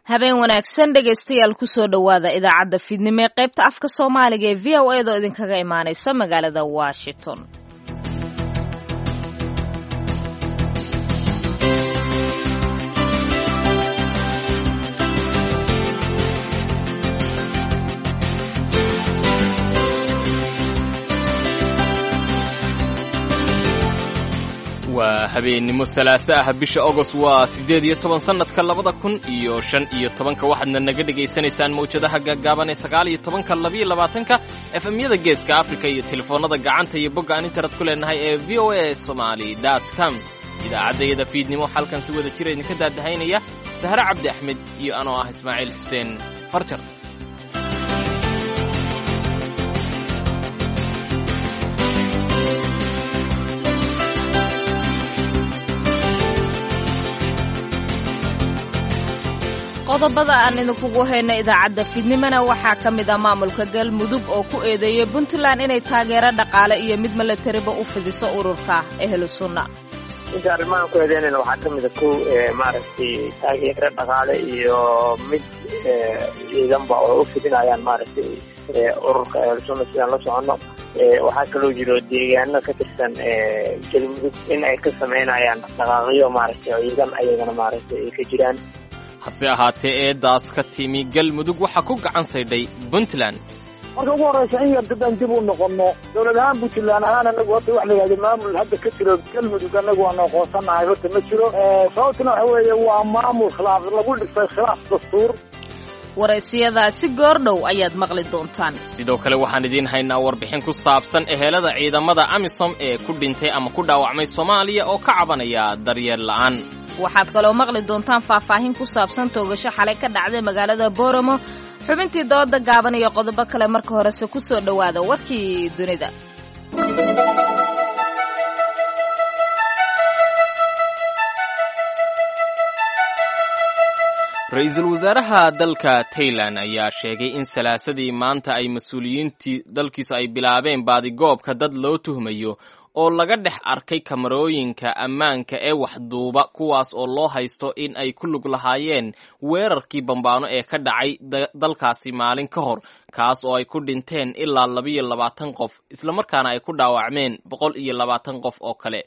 Habeen wanaagsan dhegaystayaal, kusoo dhowaada idaacadda fiidnimo ee qaybta afka Soomaaliga ee VOA da oo idinkaga imaanaysa magaalada Washington. Waa habeennimo salaaso ah, bisha Ogost waa 18, sannadka 2015. Waxaadna naga dhegaysanaysaan mawjadaha gaaggaaban ee 19-ka, 22-ka, efemyada Geeska Afrika iyo telefoonnada gacanta iyo bogga aan internet ku leenahay ee VOA Somali com. Idaacaddayada fiidnimo halkan si wada jira idinka daadahaynaya Sahre Cabdi Axmed iyo anoo ah Ismaaciil Xuseen Farjar. Qodobada aan idinkugu hayno idaacadda fiidnimona waxaa ka mid ah maamulka Galmudug oo ku eedeeyay Puntland inay taageero dhaqaale iyo mid milatariba u fidiso ururka Ehlu Sunna. Inta arrimahan ku eedeynayna waxaa ka mid a kow, maaragtay, taageero dhaqaale iyo mid ciidanba oo u fidinayaan, maaragtay, ururka Ehlu Sunna sidaan la soconno. Waxaa kaloo jiro deegaano ka tirsan Galmudug in ay ka samaynayaan dhaqaaqyo, maaragtay, ciidan ayagana, maaragtay, ay ka jiraan. Hase ahaatee, eedaas ka timi Galmudug waxaa ku gacan saydhay Puntland. Marka ugu horraysa, in yar haddaan dib u noqonno, dowlad ahaan Puntland ahaan, anagu horta wax la yidhahdo maamul hadda ka jiro Galmudug anagu waanu aqoonsanahay horta ma jiro. Sababtuna waxa weeye waa maamul khilaaf lagu dhisay, khilaaf dastuur. Waraysiyadaasi goordhow ayaad maqli doontaan. Sidoo kale waxaan idiin haynaa warbixin ku saabsan ehelada ciidamada AMISOM ee ku dhintay ama ku dhaawacmay Soomaaliya oo ka cabanaya daryeel la'aan. Waxaad kaloo maqli doontaan faahfaahin ku saabsan toogasho xalay ka dhacday magaalada Booramo, xubintii dooda gaaban iyo qodobo kale. Marka horese ku soo dhowaada warkii dunida. Ra-iisul wasaaraha dalka Tailan ayaa sheegay in salaasadii maanta ay mas-uuliyiintii dalkiisu ay bilaabeen baadigoobka dad loo tuhmayo oo laga dhex arkay kamarooyinka ammaanka ee waxduuba, kuwaas oo loo haysto in ay ku lug lahaayeen weerarkii bambaano ee ka dhacay dalkaasi maalin ka hor, kaas oo ay ku dhinteen ilaa 22 qof, islamarkaana ay ku dhaawacmeen 120 qof oo kale.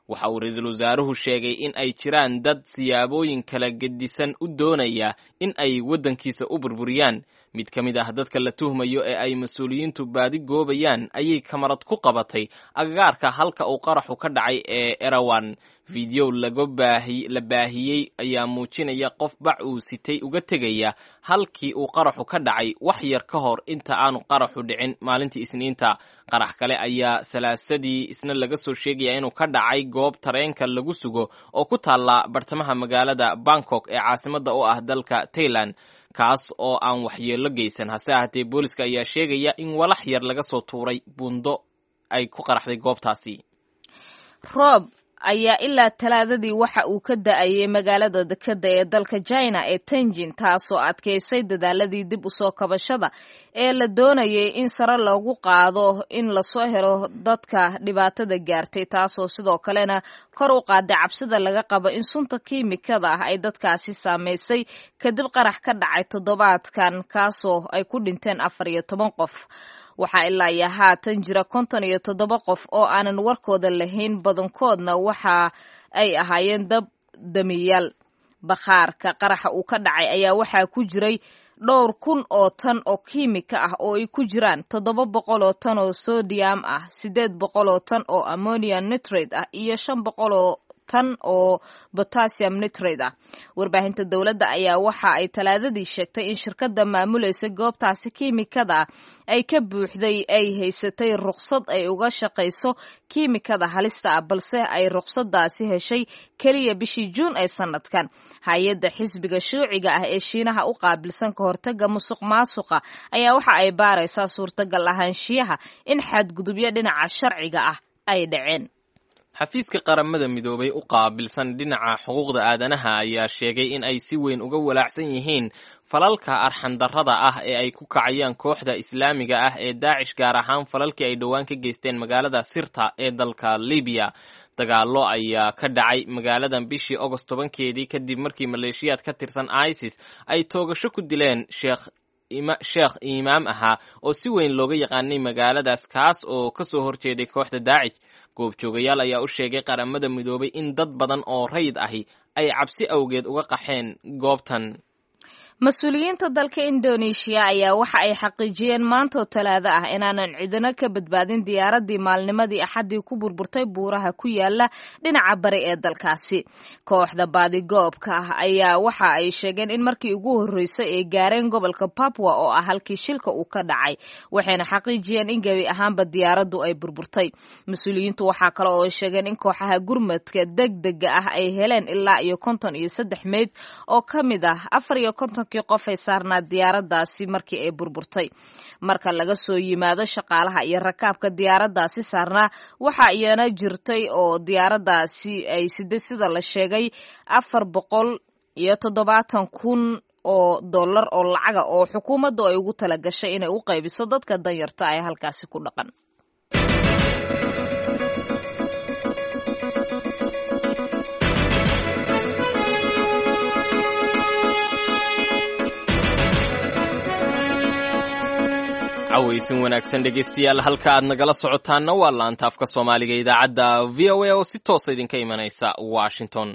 Waxa uu ra-iisul wasaaruhu sheegay in ay jiraan dad siyaabooyin kala gedisan u doonaya in ay waddankiisa u burburiyaan. Mid ka mid ah dadka la tuhmayo ee ay mas-uuliyiintu baadi goobayaan ayay kamarad ku qabatay agagaarka halka uu qaraxu ka dhacay ee Erawan. Fideow la baahiyey ayaa muujinaya qof bac uu sitay uga tegaya halkii uu qaraxu ka dhacay wax yar ka hor inta aanu qaraxu dhicin maalintii Isniinta. Qarax kale ayaa salaasadii isna laga soo sheegaya inuu ka dhacay goob tareenka lagu sugo oo ku taalla bartamaha magaalada Bangkok ee caasimadda u ah dalka Tailand, kaas oo aan waxyeello geysan. Hase ahaatee, booliska ayaa sheegaya in walax yar laga soo tuuray buundo ay ku qaraxday goobtaasi. Roob ayaa ilaa Talaadadii waxa uu ka da'ayay magaalada dekadda ee dalka China ee Tenjin, taasoo adkaysay dadaaladii dib u soo kabashada ee la doonayay in sare loogu qaado in lasoo helo dadka dhibaatada gaartay, taasoo sidoo kalena kor u qaaday cabsida laga qabo in sunta kiimikada ah ay dadkaasi saameysay kadib qarax ka dhacay toddobaadkan, kaasoo ay ku dhinteen 14 qof. Waxaa ilaa iyo haatan jira 57 qof oo aanan warkooda lahayn, badankoodna waxa ay ahaayeen dab damiyaal. Bakhaarka qaraxa uu ka dhacay ayaa waxaa ku jiray dhowr kun oo tan oo kiimika ah, oo ay ku jiraan 700 oo tan oo sodium ah, 800 oo tan oo ammonium nitrate ah iyo 500 oo tan oo potassium nitrate ah. Warbaahinta dowladda ayaa waxa ay Talaadadii sheegtay in shirkadda maamulaysa goobtaasi kiimikada ay ka buuxday ay haysatay ruqsad ay uga shaqayso kiimikada halista ah, balse ay ruqsadaasi heshay keliya bishii Juun ee sanadkan. Hay-adda xisbiga shuuciga ah ee Shiinaha u qaabilsan ka hortaga musuq maasuqa ayaa waxa ay baaraysaa suurtagal ahaanshiyaha in xadgudubyo dhinaca sharciga ah ay dhaceen. Xafiiska Qaramada Midoobay u qaabilsan dhinaca xuquuqda aadanaha ayaa sheegay in ay si weyn uga walaacsan yihiin falalka arxandarrada ah ee ay ku kacayaan kooxda Islaamiga ah ee Daacish, gaar ahaan falalkii ay dhowaan ka geysteen magaalada Sirta ee dalka Libiya. Dagaallo ayaa ka dhacay magaaladan bishii Ogost 10-keedii kadib markii maleeshiyaad ka tirsan ISIS ay toogasho ku dileen sheekh imaam ahaa oo si weyn looga yaqaanay magaaladaas, kaas oo ka soo horjeeday kooxda Daacish. Goobjoogayaal ayaa u sheegay Qaramada Midoobay in dad badan oo rayid ahi ay cabsi awgeed uga qaxeen goobtan. Mas-uuliyiinta dalka Indoneeshiya ayaa waxa ay xaqiijiyeen maantoo Talaado ah inaanan cidina ka badbaadin diyaaraddii maalnimadii Axaddii ku burburtay buuraha ku yaala dhinaca bari ee dalkaasi. Kooxda baadigoobka ah ayaa waxa ay sheegeen in markii ugu horreysay ay gaareen gobolka Papua oo ah halkii shilka uu ka dhacay, waxayna xaqiijiyeen in gebi ahaanba diyaaraddu ay burburtay. Mas-uuliyiintu waxaa kale oo ay sheegeen in kooxaha gurmadka degdega ah ay heleen ilaa iyo 53 meyd oo ka mid ah 54-kii qof ay saarnaa diyaaraddaasi markii ay burburtay. Marka laga soo yimaado shaqaalaha iyo rakaabka diyaaraddaasi saarnaa, waxaa iyana jirtay oo diyaaraddaasi ay siday, sida la sheegay, 470,000 oo dollar oo lacaga oo xukuumaddu ay ugu tala gashay inay u qaybiso dadka danyarta ee halkaasi ku dhaqan. Cawaysin wanaagsan dhegeystayaal, halka aad nagala socotaanna waa laanta afka Soomaaliga idaacadda VOA oo si toosa idinka imanaysa Washington.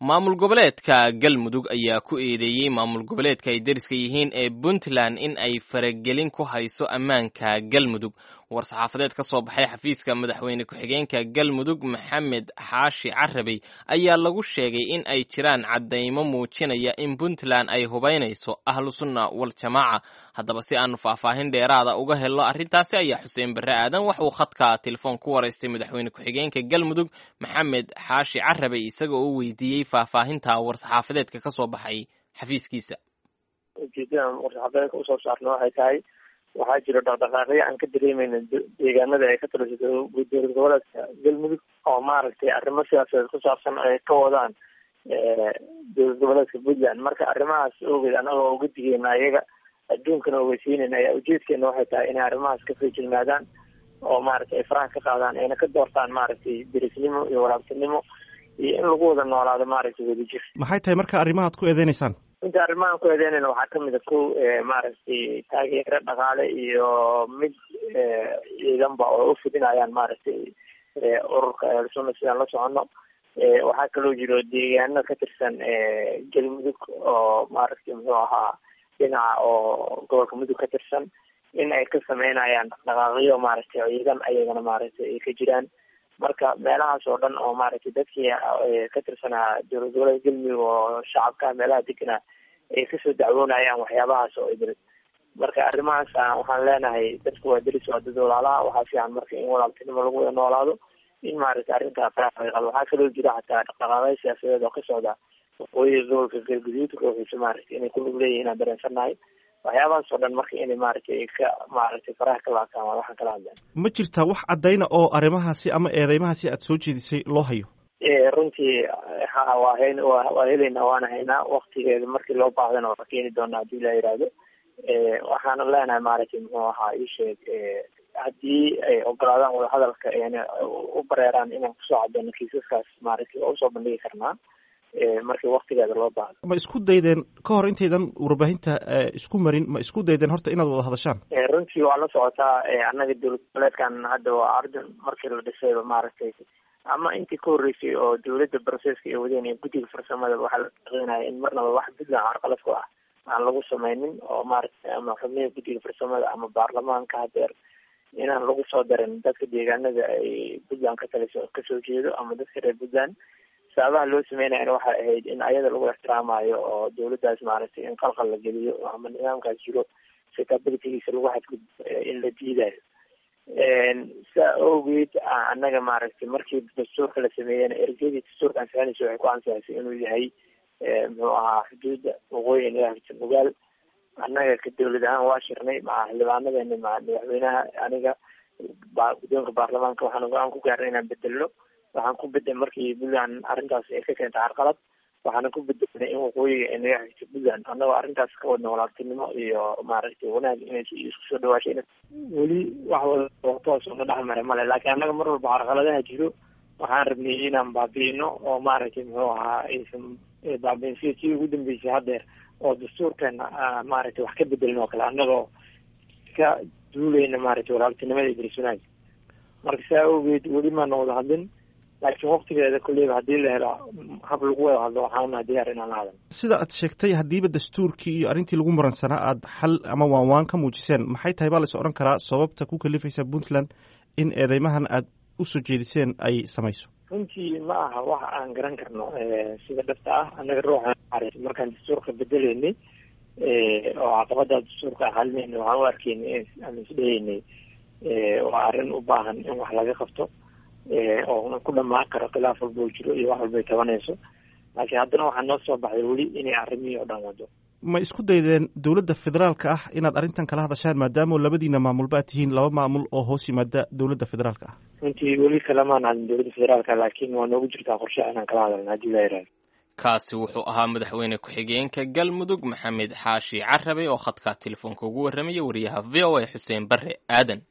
Maamul goboleedka Galmudug ayaa ku eedeeyey maamul goboleedka ay deriska yihiin ee Puntland in ay faragelin ku hayso ammaanka Galmudug. War-saxaafadeed ka soo baxay xafiiska madaxweyne ku-xigeenka Galmudug Maxamed Xaashi Carabey ayaa lagu sheegay in ay jiraan caddaymo muujinaya in Puntland ay hubaynayso Ahlu Sunna Waljamaaca. Haddaba, si aanu faahfaahin dheeraada uga helno arrintaasi ayaa Xuseen Barre Aadan wax uu khadka telefoon ku waraystay madaxweyne ku-xigeenka Galmudug Maxamed Xaashi Carabey, isaga oo weydiiyey faahfaahinta war-saxaafadeedka ka soo baxay xafiiskiisa. Ujeedadan war-saxaafadeedka usoo saarna waxay tahay, waxaa jiro dhaqdhaqaaqyo aan ka dareemeyna deegaanada ay ka taliso dowlad goboleedka Galmudug oo maaragtay arrimo siyaasadeed ku saabsan ay ka wadaan dowlad goboleedka Puntland. Marka arrimahaas ogeed, anagoo uga digeyna ayaga, adduunkana ogeysiinayna, ayaa ujeedkeena waxay tahay inay arrimahaas ka feejignaadaan oo maaragtay ay faraha ka qaadaan, ayna ka doortaan maaragtay derisnimo iyo walaabtinimo iyo in lagu wada noolaado maaragtay wadajir. Maxay tahay marka arrimahaad ku eedeynaysaan? Inta arrimahan ku eedeynayna waxaa kamid a kow, maaragtay taageero dhaqaale iyo mid ciidanba oo u fidinayaan maaragtay ururka Ahlusunna sidaan la soconno. Waxaa kaloo jiro deegaano ka tirsan Galmudug oo maaragtay muxuu ahaa dhinaca oo gobolka Mudug ka tirsan in ay ka sameynayaan dhaqdhaqaaqyo maaragtay ciidan ayagana maaragtay ay ka jiraan. Marka meelahaas oo dhan oo maaragtay dadkii ka tirsanaa dowlad goboleedka Galmudug oo shacabka meelaha deganaa ay kasoo dacwoonayaan waxyaabahaas oo idil. Marka arrimahaas waxaan leenahay, dadku waa deris, waa dad walaalaha. Waxaa fiican marka in walaaltinimo lagu wada noolaado, in maaragtay arrintaa faraha laga qaado. Waxaa kaloo jira xataa dhaqdhaqaaqyo siyaasadeed oo ka socda waqooyiga gobolka Galguduud ruuxiisa maaragtay inay ku lug leeyihiin aan dareensannahay. Waxyaabahaas oo dhan marka inay maaragtay ka maaragtay faraha ka laabtaan waa waxaan kala hadleen. Ma jirtaa wax caddayna oo arrimahaasi ama eedeymahaasi aad soo jeedisay loo hayo? Runtii ha, waa hayn, waa helaynaa, waana haynaa. Waktigeeda markii loo baahdana waa keeni doonaa haddii la yidhaahdo. Waxaana leenahay maaragtay muxuu ahaa ii sheeg, haddii ay ogolaadaan wadahadalka ayna u bareeraan inaan kusoo cadeyno kiisaskaas, maaragtay waa usoo bandhigi karnaa markii waktigeeda loo baahdo. Ma isku daydeen ka hor intaydan warbaahinta isku marin, ma isku daydeen horta inaad wada hadashaan? Runtii waa la socotaa, annaga dowlad goboleedkan hadda waa ardun. Markii la dhisayba maaragtay ama intii ka horreysay oo dowladda processka ay wadeen iyo guddiga farsamada, waxaa la shaqeynaya in marnaba wax Puntland carqalad ku ah aan lagu sameynin oo maaragtay ama xubnihii guddiga farsamada ama baarlamaanka hadeer inaan lagu soo darin dadka deegaanada ay Puntland ka taliso kasoo jeedo ama dadka reer Puntland. Sababaha loo sameynayana waxay ahayd in ayada lagu ixtiraamayo oo dowladdaas maaragtay in qalqal la geliyo ama nidaamkaas jiro stabilitygiisa lagu xadgudbo in la diidayo. Saa awgeed annaga maaragtay markii dastuurka la sameeyena, ergedii dastuurka ansixinaysa waxay ku ansixisay inuu yahay muxuu ahaa xuduudda waqooyi naga hagsan ogaal. Annaga ka dowlad ahaan waa shirnay maca xildhibaanadeena, maca madaxweynaha, aniga guddoonka baarlamaanka. Waxaan go-aan ku gaarnay inaan bedelno. Waxaan ku bedel markii Puntland arrintaas ay ka keentay carqalad, waxaana ku bedelnay in waqooyiga ay naga xigto Puntland, annagoo arrintaas ka wadna walaaltinimo iyo maaragtay wanaag inay isku soo dhawaashay. Weli wax wada toos una dhex maray male, laakiin annaga mar walba carqaladaha jiro Waxaan rabnay inaan baabi'ino oo maaragtay muxuu ahaa aysan baabi'in sida tii ugu dambeysay haddeer oo dastuurkeena maaragtay wax ka bedelin oo kale, annagoo ka duuleyna maaragtay walaaltinimada iyo deris wanaagga. Marka saa awgeed weli maana wada hadlin, laakiin waqtigeeda kolleyba haddii la helo hab lagu wada hadlo, waxaana diyaar inaan la hadalno. Sida aad sheegtay, haddiiba dastuurkii iyo arrintii lagu muransanaa aad xal ama waanwaan ka muujiseen, maxay tahay baa la is odhan karaa sababta ku kalifaysa Puntland in eedeymahan aad usoo jeediseen ay samayso? Runtii ma aha wax aan garan karno sida dhabta ah. Annaga ruuxa markaan dastuurka bedeleynay oo caqabada dastuurka xalinayna, waxaan u arkaynay ama isdhehaynay waa arrin u baahan in wax laga qabto oo ku dhamaan karo khilaaf walba oo jiro iyo wax walba ay tabanayso, laakiin haddana waxaa noo soo baxday weli inay arrimihii oo dhan wado. Ma isku daydeen dowladda federaalka ah inaad arrintan kala hadashaan, maadaama labadiina maamulba aad tihiin laba maamul oo hoos yimaada dowladda federaalka ah? Runtii weli kalamaan hadlin dowladda federaalka, laakiin waa noogu jirtaa qorshe inaan kala hadalna haddii la yidhahdo. Kaasi wuxuu ahaa madaxweyne ku-xigeenka Galmudug Maxamed Xaashi Carabe oo khadka telefoonka ugu warramaya wariyaha VOA Xuseen Barre Aadan.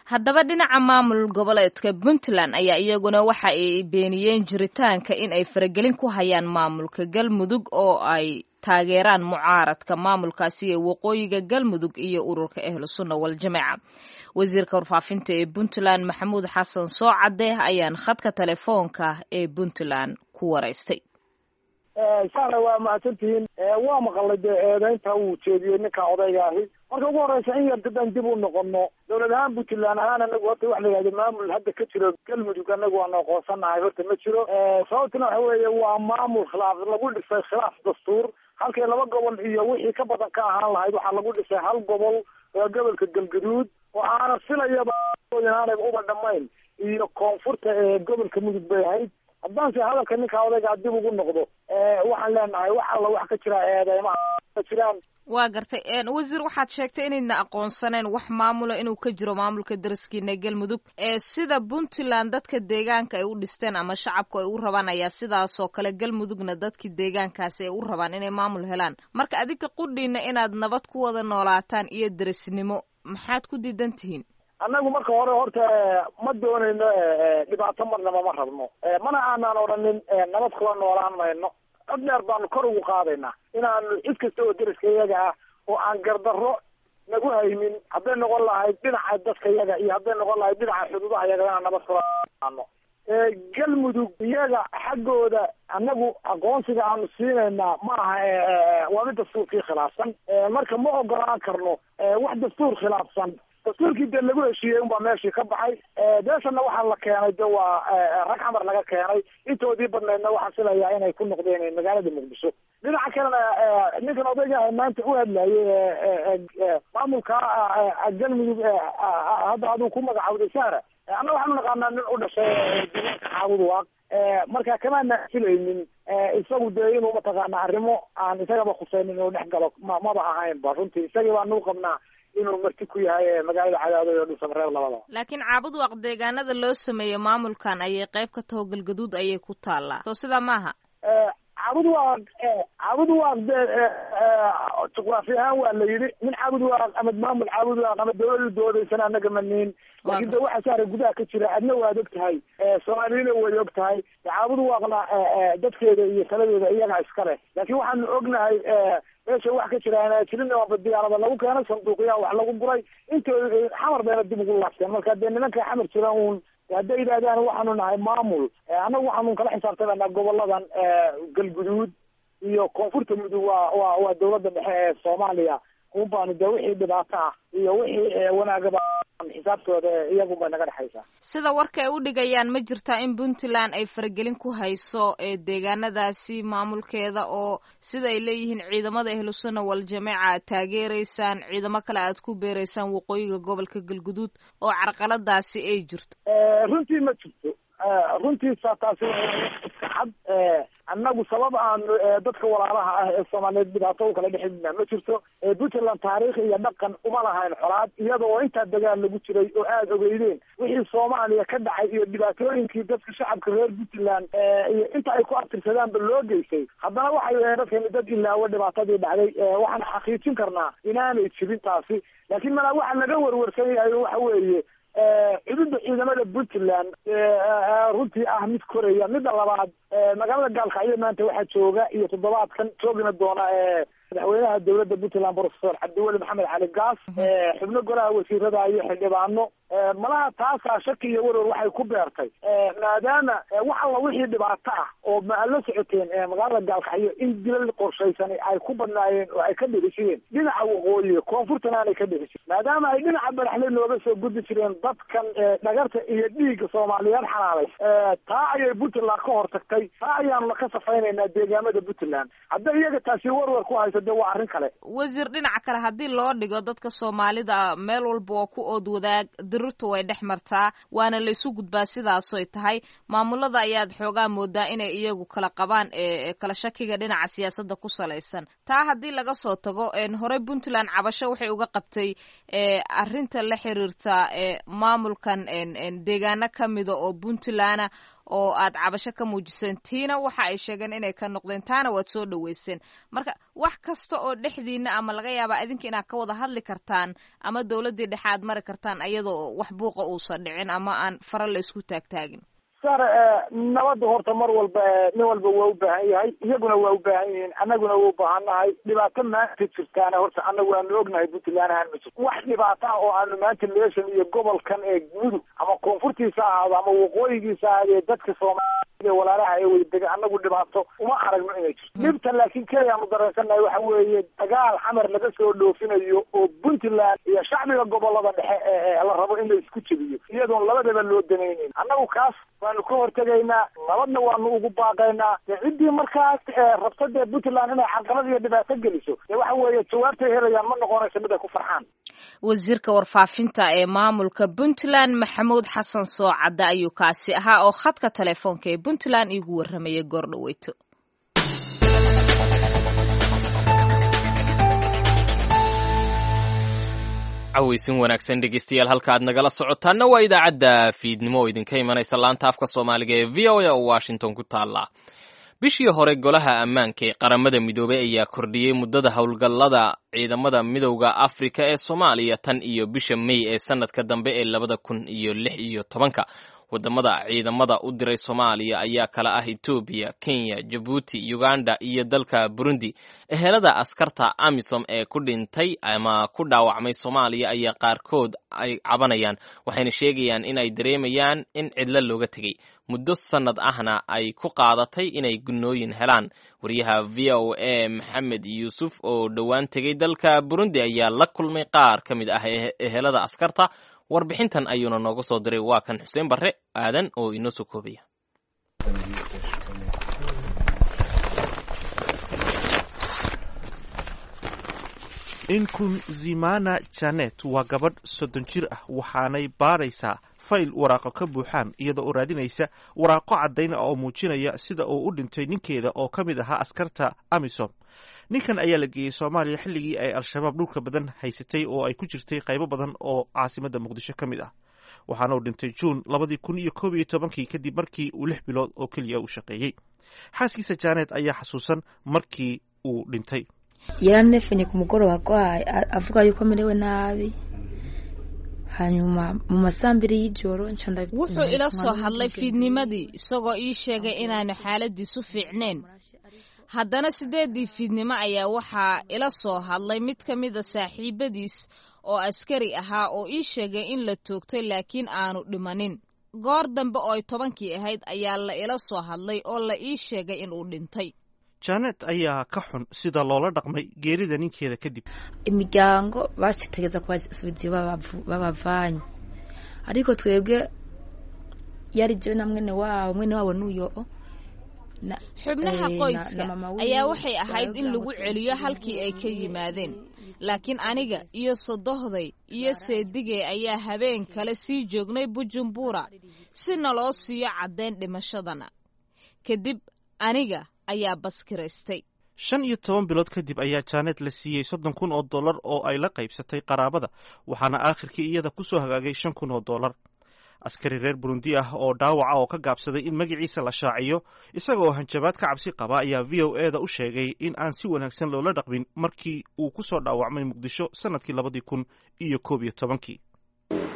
Haddaba dhinaca maamul goboleedka Puntland ayaa iyaguna waxa ay beeniyeen jiritaanka in ay faragelin ku hayaan maamulka Galmudug oo ay taageeraan mucaaradka maamulkaasi ee waqooyiga Galmudug iyo ururka Ahlu Sunna Waljamaaca. Wasiirka warfaafinta ee Puntland Maxamuud Xasan Soocade ayaan khadka telefoonka ee Puntland ku waraystay. Saana waa mahadsantihiin. Waa maqalay dee eedeynta uu jeediyey ninka odayga ahi. Marka ugu horeysa in yar haddaan dib u noqono, dowlad ahaan Puntland ahaan anagu horta wax la yihahdo maamul hadda ka jiro Galmudug anagu waanu aqoonsanahay horta ma jiro. Sababtuna waxa weeye waa maamul khilaaf lagu dhisay, khilaaf dastuur. Halkii laba gobol iyo wixii ka badan ka ahaan lahayd, waxaa lagu dhisay hal gobol oo gobolka Galgaduud, oo aana filayaba inaanay uba dhamayn iyo koonfurta ee gobolka Mudug bay ahayd. Haddaanse hadalka ninka odaygaa dib ugu noqdo, waxaan leenahay wax alla wax ka jira eedeymaha ma jiraan. Waa gartay wasiir, waxaad sheegtay inaydna aqoonsaneen wax maamula inuu ka jiro maamulka daraskiina Galmudug. Sida Puntland dadka deegaanka ay u dhisteen ama shacabku ay u rabaan ayaa sidaasoo kale Galmudugna dadkii deegaankaasi ay u rabaan inay maamul helaan. Marka adinka qudhiina inaad nabad ku wada noolaataan iyo darasnimo, maxaad ku diidan tihiin? Annagu marka hore horta ma doonayno dhibaato, marnaba ma rabno, mana aanaan odhanin nabad kula noolaan mayno. Cod dheer baanu kor ugu qaadaynaa inaanu cid kasta oo deriska iyaga ah oo aan gardarro nagu haynin, hadday noqon lahayd dhinaca dadka iyaga iyo hadday noqon lahayd dhinaca xuduudaha iyaga, inaan nabad kula aano. Galmudug iyaga xaggooda annagu aqoonsiga aanu siinaynaa ma aha, waa mid dastuurkii khilaafsan. Marka ma ogolaan karno wax dastuur khilaafsan. Dastuurkii dee lagu heshiiyey unbaa meeshii ka baxay. Beeshana waxaa la keenay de waa rag Xamar laga keenay, intoodii badnaydna waxaan filayaa inay ku noqdeen magaalada Muqdisho. Dhinaca kalena ninkan odayga maanta u hadlayay maamulka Galmudug hadda aduu ku magacawday Sahra, anna waxaanu naqaanaa nin u dhashay deegaanka Caabud Waaq. Marka kamaana filaynin isagu dee inuu mataqaana arrimo aan isagaba khusaynin inuu dhex galo, maba ahaynba runtii. Isagii baanu qabnaa inuu marti ku yahay magaalada Cadaado iyo Dhuusamareeb labadaba. Laakiin Caabud Waaq deegaanada loo sameeyo maamulkan ayay qayb ka taho, Galgaduud ayay ku taallaa, soo sidaa maaha? Caabud Waaq, Caabud Waaq de juqraafi ahaan waa la yidhi nin Caabud Waaq ama maamul Caabud Waaq ama dawladu doodaysana annaga maniin, laakiin de waxa saara gudaha ka jira adna waad og tahay, Soomaaliyana way og tahay. Caabud Waaqna dadkeeda iyo taladeeda iyaga iska leh, laakiin waxaanu ognahay meesha wax ka jira inaa jirin. Waaba diyaarada lagu keenay, sanduuqyaha wax lagu guray, intooda Xamar bayna dib ugu laabteen. Marka dee nimanka Xamar jira uun hadday yidhahdaan waxaanu nahay maamul, annagu waxaanu kala xisaabtamanaa goboladan Galguduud iyo koonfurta Mudug. Waa dawladda dhexe ee Soomaaliya un baanu dee wixii dhibaato ah iyo wixii wanaagaba xisaabtooda iyagun bay naga dhexaysaa. Sida warka ay u dhigayaan, ma jirtaa in Puntland ay faragelin ku hayso deegaanadaasi maamulkeeda, oo sida ay leeyihiin ciidamada Ahlu Sunna Waljamaaca aad taageeraysaan, ciidamo kale aad ku beereysaan waqooyiga gobolka Galguduud, oo carqaladaasi ay jirto? Runtii ma jirto. Runtii taasi iska cad. Annagu sabab aanu dadka walaalaha ah ee Soomaaliyeed dhibaato u kala dhexidna ma jirto. Puntland taariikh iyo dhaqan uma lahayn colaad, iyada oo intaa dagaal lagu jiray oo aada ogeydeen wixii Soomaaliya ka dhacay iyo dhibaatooyinkii dadka shacabka reer Puntland iyo inta ay ku abtirsadaanba loo geystay. Haddana waxay dadkani dad ilaawo dhibaatadii dhacday. Waxaan xaqiijin karnaa inaanay jirin taasi, laakiin malaa waxa laga warwarsan yahay waxa weeye Cududda ciidamada Puntland runtii ah mid koraya. Midda labaad, magaalada Gaalkacyo maanta waxaa jooga iyo toddobaadkan joogina doona madaxweynaha dowladda Puntland, Professor Cabdiweli Maxamed Cali Gaas, xubno golaha wasiirada iyo xildhibaano. Malaha taasaa shaki iyo warwar waxay ku beertay, maadaama wax alla wixii dhibaato ah oo ma la socoteen magaalada Gaalkacyo in dilal qorshaysan ay ku badnaayeen oo ay ka dhici jireen dhinaca waqooyi, koonfurtana aanay ka dhici jirin, maadaama ay dhinaca Baraxle nooga soo gudbi jireen dadkan dhagarta iyo dhiigga Soomaaliyeed xalaalay. Taa ayay Puntland ka hortagtay, taa ayaanuna ka safaynaynaa deegaamada Puntland. Hadday iyaga taasi warwar ku hayso, dee waa arrin kale. Wasiir, dhinaca kale haddii loo dhigo, dadka Soomaalida meel walba waa ku ood wadaag, dirirtu way dhex martaa, waana la isu gudbaa. Sidaasoy tahay, maamulada ayaad xoogaa moodaa inay iyagu kala qabaan kala shakiga dhinaca siyaasadda ku salaysan. Taa haddii laga soo tago, horey Puntland cabasho waxay uga qabtay arrinta la xiriirta maamulkan deegaano ka mida oo Puntlandna oo aad cabasho ka muujiseen, tiina waxa ay sheegeen inay ka noqdeen, taana waad soo dhaweyseen. Marka wax kasta oo dhexdiina ama laga yaabaa idinka inaad ka wada hadli kartaan ama dowladdii dhexe aad mari kartaan ayadoo wax buuqa uusan dhicin ama aan fara la isku taagtaagin. Sar, nabadda horta mar walba nin walba waa u baahan yahay, iyaguna waa u baahan yihiin, annaguna waa u baahannahay. Dhibaato maanta jirtaana horta annagu waanu ognahay, Puntland ahaan ma jirto wax dhibaato ah oo aanu maanta meeshan iyo gobolkan ee Mudug ama koonfurtiisa ahaado ama waqooyigiisa ahaadee, dadka Soomaalida walaalaha ee wadadega annagu dhibaato uma aragno inay jirto dhibta. Laakiin keliya aanu dareensannahay waxa weeye dagaal Xamar laga soo dhoofinayo oo Puntland iyo shacbiga gobolada dhexe ee la rabo in la isku jebiyo, iyadoon labadaba loo danaynayn. Annagu kaas waanu ka hortegaynaa, nabadna waanu ugu baaqaynaa. Dee ciddii markaas rabta dee Puntland inay carqalad iyo dhibaato geliso, dee waxa weeye jawaabtay helayaan ma noqonayso mid ay ku farxaan. Wasiirka warfaafinta ee maamulka Puntland, Maxamuud Xasan Soocadda, ayuu kaasi ahaa oo khadka telefoonka ee Puntland iigu warramayay goor dhaweyto. Cawaysin wanaagsan dhegeystayaal, halka aad nagala socotaanna waa idaacadda fiidnimo oo idinka imanaysa laanta afka Soomaaliga ee VOA oo Washington ku taalla. Bishii hore golaha ammaanka ee Qaramada Midoobay ayaa kordhiyey muddada howlgallada ciidamada Midowda Afrika ee Soomaaliya tan iyo bisha May ee sanadka dambe ee 2016-ka. Wadamada ciidamada u diray Soomaaliya ayaa kala ah Etoobiya, Kenya, Jabuuti, Uganda iyo dalka Burundi. Ehelada askarta AMISOM ee ku dhintay ama ku dhaawacmay Soomaaliya ayaa qaarkood ay cabanayaan, waxayna sheegayaan in ay dareemayaan in cidlo looga tegey, muddo sannad ahna ay ku qaadatay inay gunnooyin helaan. Wariyaha VOA Maxamed Yuusuf oo dhowaan tegey dalka Burundi ayaa la kulmay qaar ka mid ah ehelada askarta, warbixintan ayuuna nooga soo diray. Waa kan Xuseen Barre Aadan oo inoo soo koobaya. Inkunzimana Janet waa gabadh 30 jir ah, waxaanay baadhaysaa fayl waraaqo ka buuxaan, iyadoo oo raadinaysa waraaqo caddayn ah oo muujinaya sida uu u dhintay ninkeeda oo ka mid ahaa askarta AMISOM. Ninkan ayaa la geeyey Soomaaliya xilligii ay Al-Shabaab dhulka badan haysatay oo ay ku jirtay qaybo badan oo caasimadda Muqdisho ka mid ah, waxaana uu dhintay Juun 2011-kii kadib markii uu 6 bilood oo keliya u shaqeeyey. Xaaskiisa Janet ayaa xasuusan markii uu dhintay. Yaranefenye ku mugoroba agwaye, avuga yuko amerewe nabi, hanyuma mu masaha 2 y'ijoro. Wuxuu ila soo hadlay fiidnimadii isagoo ii sheegay inaanu xaaladiisu fiicnayn. Haddana 8-dii fiidnimo ayaa waxaa ila soo hadlay mid ka mida saaxiibadiis oo askari ahaa oo ii sheegay in la toogtay laakiin aanu dhimanin. Goor dambe oo ay 10-kii ahayd ayaa la ila soo hadlay oo la ii sheegay inuu dhintay. Janet ayaa ka xun sida loola dhaqmay geerida ninkeeda kadib. Imiryango bacitegeza kubasubiza iyo babavanye, ariko twebwe yari jewe na mwene wabo, mwene wabo nuyo. Xubnaha qoyska ayaa waxay ahayd in lagu celiyo halkii ay ka yimaadeen, laakiin aniga iyo sodohday iyo seedigay ayaa habeen kale sii joognay Bujumbura si naloo siiyo caddayn dhimashadana. Kadib aniga ayaa baskiraystay. 15 bilood kadib ayaa Janet la siiyey $30,000 oo ay la qaybsatay qaraabada, waxaana aakhirkii iyada ku soo hagaagay $5,000. Askari reer Burundi ah oo dhaawaca oo ka gaabsaday in magaciisa la shaaciyo isagaoo hanjabaad ka cabsi qaba ayaa VOA da u sheegay in aan si wanaagsan loola dhaqmin markii uu ku soo dhaawacmay Muqdisho sanadkii 2011-kii.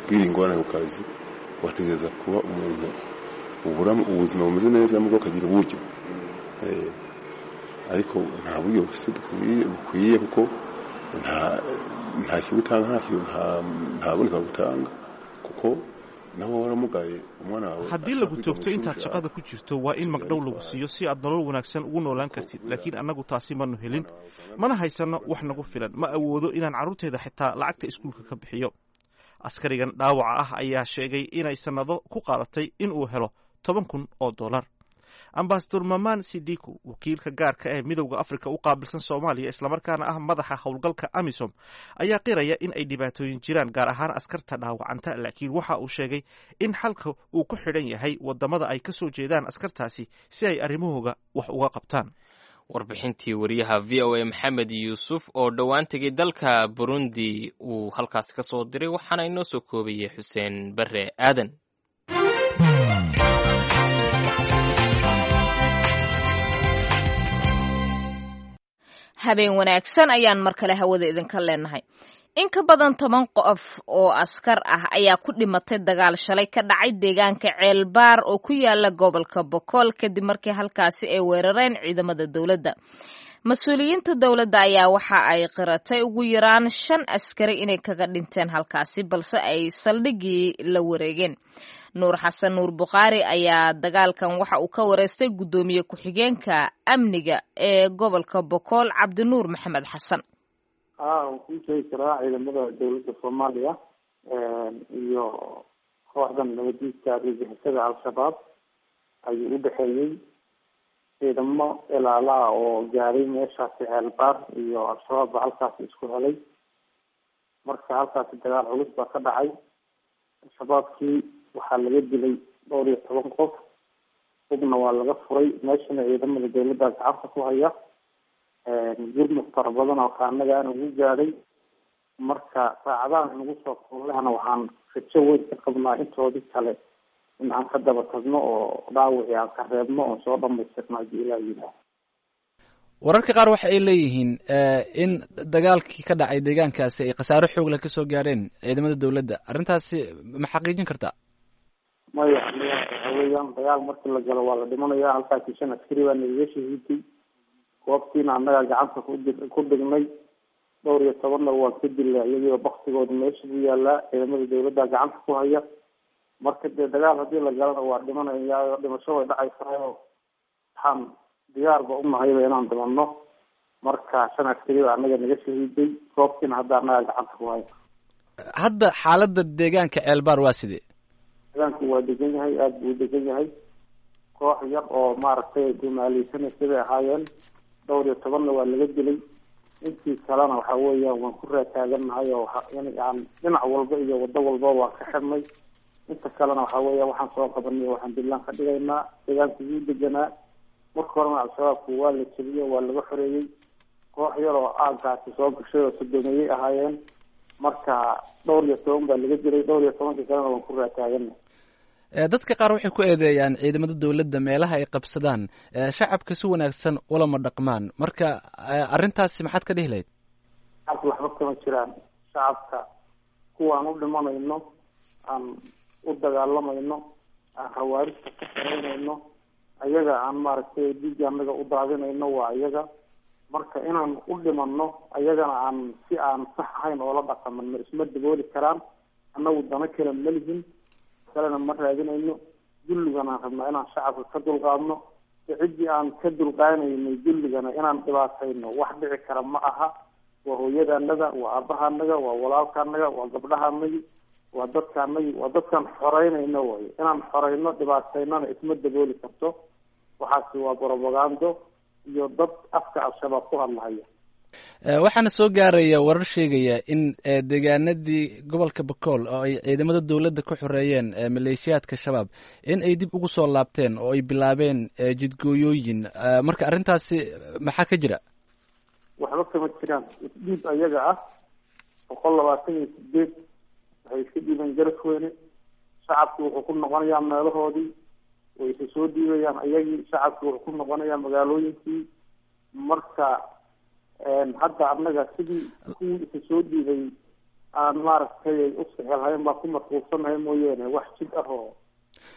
Ugira ingorane ku kazi, wategereza kuba umuntu ubura ubuzima bumeze neza mubwo ukagira uburyo, ariko nta buryo bukwiye kuko nta kibutanga, nta bundi bagutanga kuko Haddii lagu toogto intaad shaqada ku jirto, waa in magdhow lagu siiyo si aad nolol wanaagsan ugu noolaan kartid, laakiin annagu taasi manu helin, mana haysano wax nagu filan. Ma awoodo inaan carruurteyda xitaa lacagta iskuulka ka bixiyo. Askarigan dhaawaca ah ayaa sheegay inay sannado ku qaadatay inuu helo $10,000. Ambasador Maman Sidiku, wakiilka gaarka ee Midowda Afrika u qaabilsan Soomaaliya, islamarkaana ah madaxa howlgalka AMISOM, ayaa qiraya in ay dhibaatooyin jiraan, gaar ahaan askarta dhaawacanta, laakiin waxa uu sheegay in xalka uu ku xidhan yahay wadamada ay ka soo jeedaan askartaasi si ay arrimahooga wax uga qabtaan. Warbixintii wariyaha VOA Maxamed Yuusuf oo dhowaan tegay dalka Burundi uu halkaasi ka soo diray, waxaana inoo soo koobayay Xuseen Bare Aadan. Habeen wanaagsan ayaan mar kale hawada idinka leenahay. In ka badan 10 qof oo askar ah ayaa ku dhimatay dagaal shalay ka dhacay deegaanka Ceelbaar oo ku yaala gobolka Bokool, kadib markii halkaasi ay weerareen ciidamada dowladda. Mas-uuliyiinta dowladda ayaa waxa ay qiratay ugu yaraan shan askari inay kaga dhinteen halkaasi, balse ay saldhiggii la wareegeen. Nuur Xasan Nuur Bukhaari ayaa dagaalkan waxa uu ka wareystay guddoomiye ku-xigeenka amniga ee gobolka Bokool, Cabdinuur Maxamed Xasan. Waan kuu sheegi karaa. Ciidamada dowladda Soomaaliya iyo kooxdan nabadiidka argagixisada Al-Shabaab ayuu u dhexeeyey. Ciidamo ilaalaha oo gaaray meeshaasi Ceelbaar iyo Al-Shabaab baa halkaasi isku helay. Marka halkaasi dagaal culus baa ka dhacay. Al-Shabaabkii waxaa laga dilay dhowr iyo toban qof, hubna waa laga furay. Meeshana ciidamada dowladda gacanta ku haya, gurmud fara badan oo kaanagaana ugu gaadhay. Marka saacadaha nagu soo kullehna waxaan rajo weyn ka qabnaa intoodii kale in aan ka daba tagno oo dhaawicii aan ka reebno oon soo dhamaystirno haddii Ilaah yidhaah. Wararka qaar waxa ay leeyihiin in dagaalkii ka dhacay deegaankaasi ay khasaaro xoog leh kasoo gaareen ciidamada dowladda. Arrintaasi ma xaqiijin kartaa? Maya, waxa weeyaan dagaal markii la galo waa la dhimanaya. Halkaasi shan askari baa nagaga shahiiday, goobtiina annagaa gacanta ku dhignay. Dhowr iyo tobanna waan ka dilay, iyagiiba baktigooda meesha buu yaalaa. Ciidamada dowladda gacanta ku haya. Marka dee dagaal haddii la galana waa dhimanaya, dhimasho way dhacaysaayoo waxaan diyaarba unahayba inaan dhimanno. Marka shan askari baa annaga naga shahiiday, goobtiina hadda annagaa gacanta ku haya. Hadda xaaladda deegaanka Ceelbaar waa sidee? Deegaanku waa degan yahay, aada buu degan yahay. Koox yar oo maaragtay gumaaleysanaysa bay ahaayeen. Dhowr iyo tobanna waa laga dilay, intii kalena waxa weeyaan waan ku raataagannahay oo aan dhinac walba iyo waddo walba waan ka xirnay. Inta kalena waxa weeya waxaan soo qabanay, waxaan dillaan ka dhigaynaa. Deegaanku wuu deganaa. Marka horena Al-Shabaabku waa la jebiyey, waa laga xoreeyey. Koox yar oo aagaasi soo gashay oo sodomeeyey ahaayeen. Marka dhowr iyo toban baa laga dilay, dhowr iyo tobankii kalena waan ku raataaganay. Dadka qaar waxay ku eedeeyaan ciidamada dowladda meelaha ay qabsadaan shacabka si wanaagsan ulama dhaqmaan. Marka arrintaasi maxaad ka dhihi lahayd? Shacabka waxba kama jiraan. Shacabka kuwaan u dhimanayno, aan u dagaalamayno, aan khawaarijta ka xereynayno, ayaga aan maaragtay dhiigga annaga u daadinayno waa iyaga. Marka inaan u dhimanno ayagana aan si aan sax ahayn oola dhaqamanno isma dabooli karaan. Annagu dano kale ma lihin, kalena ma raadinayno. Dulligan aan rabnaa inaan shacabka ka dulqaadno. Ciddii aan ka dulqaanaynay dulligana inaan dhibaatayno wax dhici kara ma aha. Waa hooyadaanaga, waa aabbahaanaga, waa walaalkaanaga, waa gabdhahaanagi, waa dadkaanagi, waa dadkaan xoreynayno way. Inaan xoreyno dhibaataynona isma dabooli karto. Waxaasi waa brobagando iyo dad afka Al-Shabaab ku hadlahaya. Waxaana soo gaaraya warar sheegaya in deegaanadii gobolka Bakool oo ay ciidamada dowladda ku xoreeyeen maleeshiyaadka Shabaab in ay dib ugu soo laabteen oo ay bilaabeen jidgooyooyin. Marka arrintaasi maxaa ka jira? Waxba kama jiraan. Isdhiib ayaga ah 128 waxay iska dhiibeen Garasweyne. Shacabki wuxuu ku noqonayaa meelahoodii, way isa soo dhiibayaan ayagii. Shacabki wuxuu ku noqonayaa magaalooyinkii. Marka hadda annaga sidii kuwii isa soo dhiibay Aan maaragtay ay u sixilhayn baa ku mashquulsanahay mooyaane, wax jid ah oo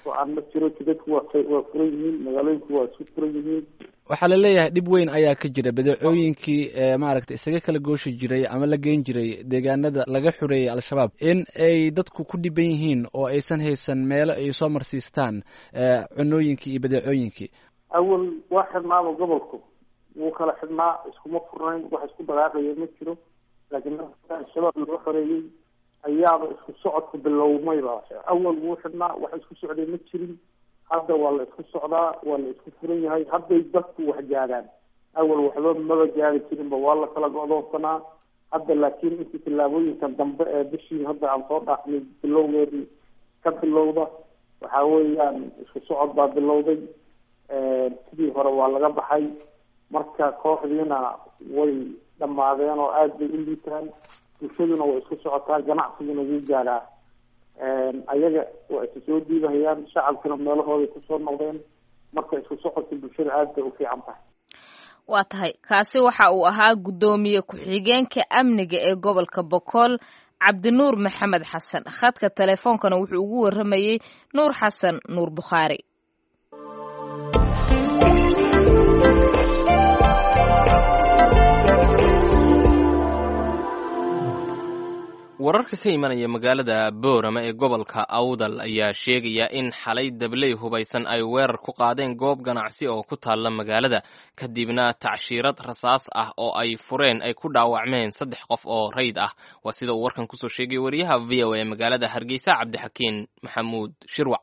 go-aan ma jiro. Jidadku waa furan yihiin, magaalooyinku waa isku furan yihiin. Waxaa la leeyahay dhib weyn ayaa ka jira badeecooyinkii maaragtay isaga kala gooshi jiray ama la geyn jiray deegaanada laga xoreeyay Al-Shabaab, in ay dadku ku dhiban yihiin oo aysan haysan meelo ay soo marsiistaan cunooyinkii iyo badeecooyinkii. Awal waa xidhnaaba, gobolku wuu kala xidhnaa, iskuma furnayn, wax isku dhaqaaqaya ma jiro. Laakiin Al-Shabaab laga xoreeyey ayaaba isku socodku bilowmayba. Awal wuu xidhnaa, wax isku socday ma jirin. Hadda waa la isku socdaa, waa la isku furan yahay. Hadday dadku wax gaadhaan, awal waxba maba gaari jirinba, waa la kala go'doonsanaa. Hadda laakiin intii tillaabooyinkan dambe ee bishii hadda aan soo dhaafnay bilowgeedii ka bilowda, waxa weeyaan isku socod baa bilowday. Sidii hore waa laga baxay. Marka kooxdiina way dhammaadeen oo aada bay u liitaan, bulshaduna way isku socotaa, ganacsiguna wuu gaadhaa. Ayaga waa isu soo diibahayaan, shacabkina meelahooday kusoo noqdeen. Marka isku socodka bulshada aada bay u fiican tahay. Waa tahay, kaasi waxa uu ahaa guddoomiye ku-xigeenka amniga ee gobolka Bokool, Cabdinuur Maxamed Xasan. Khadka teleefoonkana wuxuu ugu warramayey Nuur Xasan Nuur Bukhaari. Wararka ka imanaya magaalada Boorama ee gobolka Awdal ayaa sheegaya in xalay dabley hubaysan ay weerar ku qaadeen goob ganacsi oo ku taalla magaalada, kadibna tacshiirad rasaas ah oo ay fureen ay ku dhaawacmeen 3 qof oo rayd ah. Waa sida uu warkan kusoo sheegay wariyaha VOA ee magaalada Hargeysa, Cabdixakiin Maxamuud Shirwac.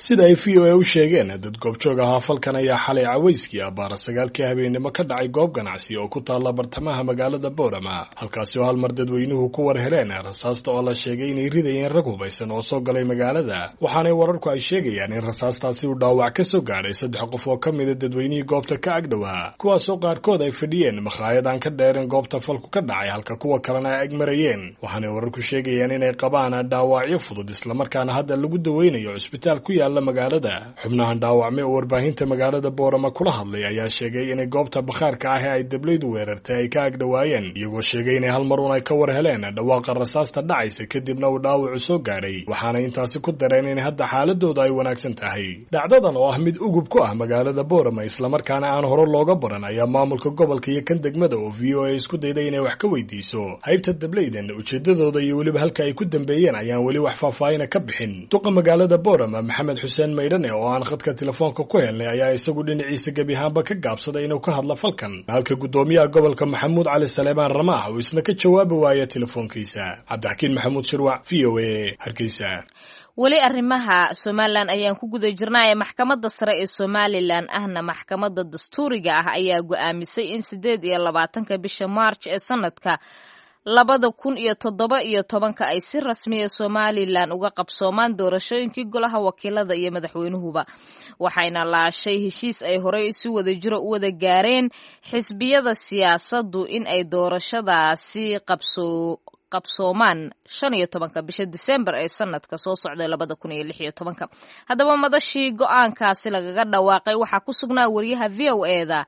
Sida ay VOA u sheegeen dad goobjoog ahaa, falkan ayaa xalay cawayskii abbaara 9-kii habeennimo ka dhacay goob ganacsi oo ku taalla bartamaha magaalada Boorama, halkaasi oo hal mar dadweynuhu ku war heleen rasaasta oo la sheegay inay ridayeen rag hubaysan oo soo galay magaalada. Waxaanay wararku ay sheegayaan in rasaastaasi uu dhaawac ka soo gaadhay 3 qof oo ka mida dadweynihii goobta ka agdhowaa, kuwaasoo qaarkood ay fadhiyeen makhaayad aan ka dheereen goobta falku ka dhacay, halka kuwa kalena ay agmarayeen. Waxaanay wararku sheegayaan inay qabaan dhaawacyo fudud, islamarkaana hadda lagu daweynayo cusbitaal ku yaala magaalada. Xubnahan dhaawacmay oo warbaahinta magaalada Boorama kula hadlay ayaa sheegay inay goobta bakhaarka ah ee ay dablaydu weerartay ay ka agdhowaayeen, iyagoo sheegay inay hal mar uun ay ka war heleen dhawaaqa rasaasta dhacaysa, kadibna uu dhaawacu soo gaadhay. Waxaana intaasi ku dareen in hadda xaaladooda ay wanaagsan tahay. Dhacdadan oo ah mid ugub ku ah magaalada Boorama, islamarkaana aan hore looga baran, ayaa maamulka gobolka iyo kan degmada oo VOA isku dayday inay wax ka weydiiso haybta dablaydan, ujeedadooda iyo weliba halka ay ku dambeeyeen ayaan weli wax faahfaahina ka bixin. Duqa magaalada Boorama, Maxamed Xuseen Maydhane, oo aan khadka telefoonka ku helnay, ayaa isagu dhinaciisa gebi ahaanba ka gaabsaday inuu ka hadlo falkan, halka guddoomiyaha gobolka Maxamuud Cali Saleebaan Ramaax uu isna ka jawaabi waaya telefoonkiisa. Cabdixakiin Maxamuud Shirwac, VOA, Hargeysa. Weli arrimaha Somalilan ayaan ku guda jirnaa ee maxkamadda sare ee Somalilan, ahna maxkamadda dastuuriga ah, ayaa go'aamisay in 28-ka bisha Maarj ee sanadka 2017-ka ay si rasmiya Somalilan uga qabsoomaan doorashooyinkii golaha wakiilada iyo madaxweynuhuba. Waxayna laashay heshiis ay horey si wada jiro u wada gaareen xisbiyada siyaasaddu in ay doorashadaasi qabsoomaan 15-ka bisha Disembar ee sanadka soo socday 2016-ka. Haddaba madashii go'aankaasi lagaga dhawaaqay waxaa ku sugnaa wariyaha VOA-da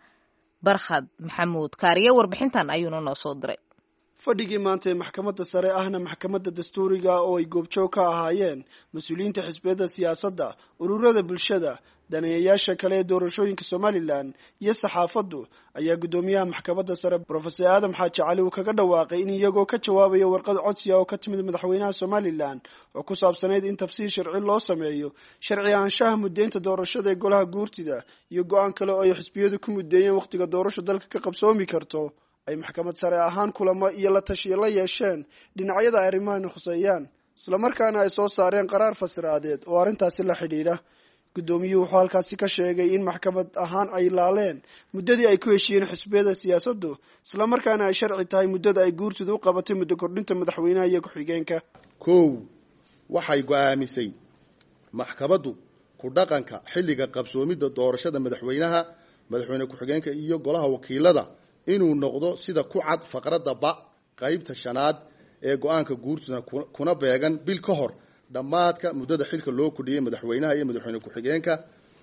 Barkhad Maxamuud Kaariye, warbixintan ayuuna noo soo diray. Fadhigii maanta ee maxkamadda sare, ahna maxkamadda dastuuriga, oo ay goobjoog ka ahaayeen mas-uuliyiinta xisbiyada siyaasadda, ururada bulshada, daneeyayaasha kale ee doorashooyinka Somalilan iyo saxaafaddu, ayaa guddoomiyaha maxkamadda sare Brofesor Aadam Xaaji Cali uu kaga dhawaaqay in iyagoo ka jawaabaya warqad codsi ah oo ka timid madaxweynaha Somalilan oo ku saabsanayd in tafsiir sharci loo sameeyo sharci ahaanshaha muddeynta doorashada ee golaha guurtida iyo go-aan kale oo ay xisbiyadu ku muddeeyeen wakhtiga doorasho dalka ka qabsoomi karto, ay maxkamad sare ahaan kulamo iyo la tashiyo la yeesheen dhinacyada ay arrimahani khuseeyaan, islamarkaana ay soo saareen qaraar fasiraadeed oo arrintaasi la xidhiidha. Guddoomiyuhu wuxuu halkaasi ka sheegay in maxkamad ahaan ay laaleen muddadii ay ku heshiiyeen xisbiyada siyaasaddu, islamarkaana ay sharci tahay muddada ay guurtidu u qabatay muddo kordhinta madaxweynaha iyo ku-xigeenka. Kow, waxay go'aamisay maxkamaddu ku dhaqanka xilliga qabsoomidda doorashada madaxweynaha, madaxweyne ku-xigeenka iyo golaha wakiilada inuu noqdo sida ku cad faqradda ba qaybta shanaad ee go-aanka guurtuna, kuna beegan bil ka hor dhammaadka muddada xilka loo kordhiyey madaxweynaha iyo madaxweyne ku-xigeenka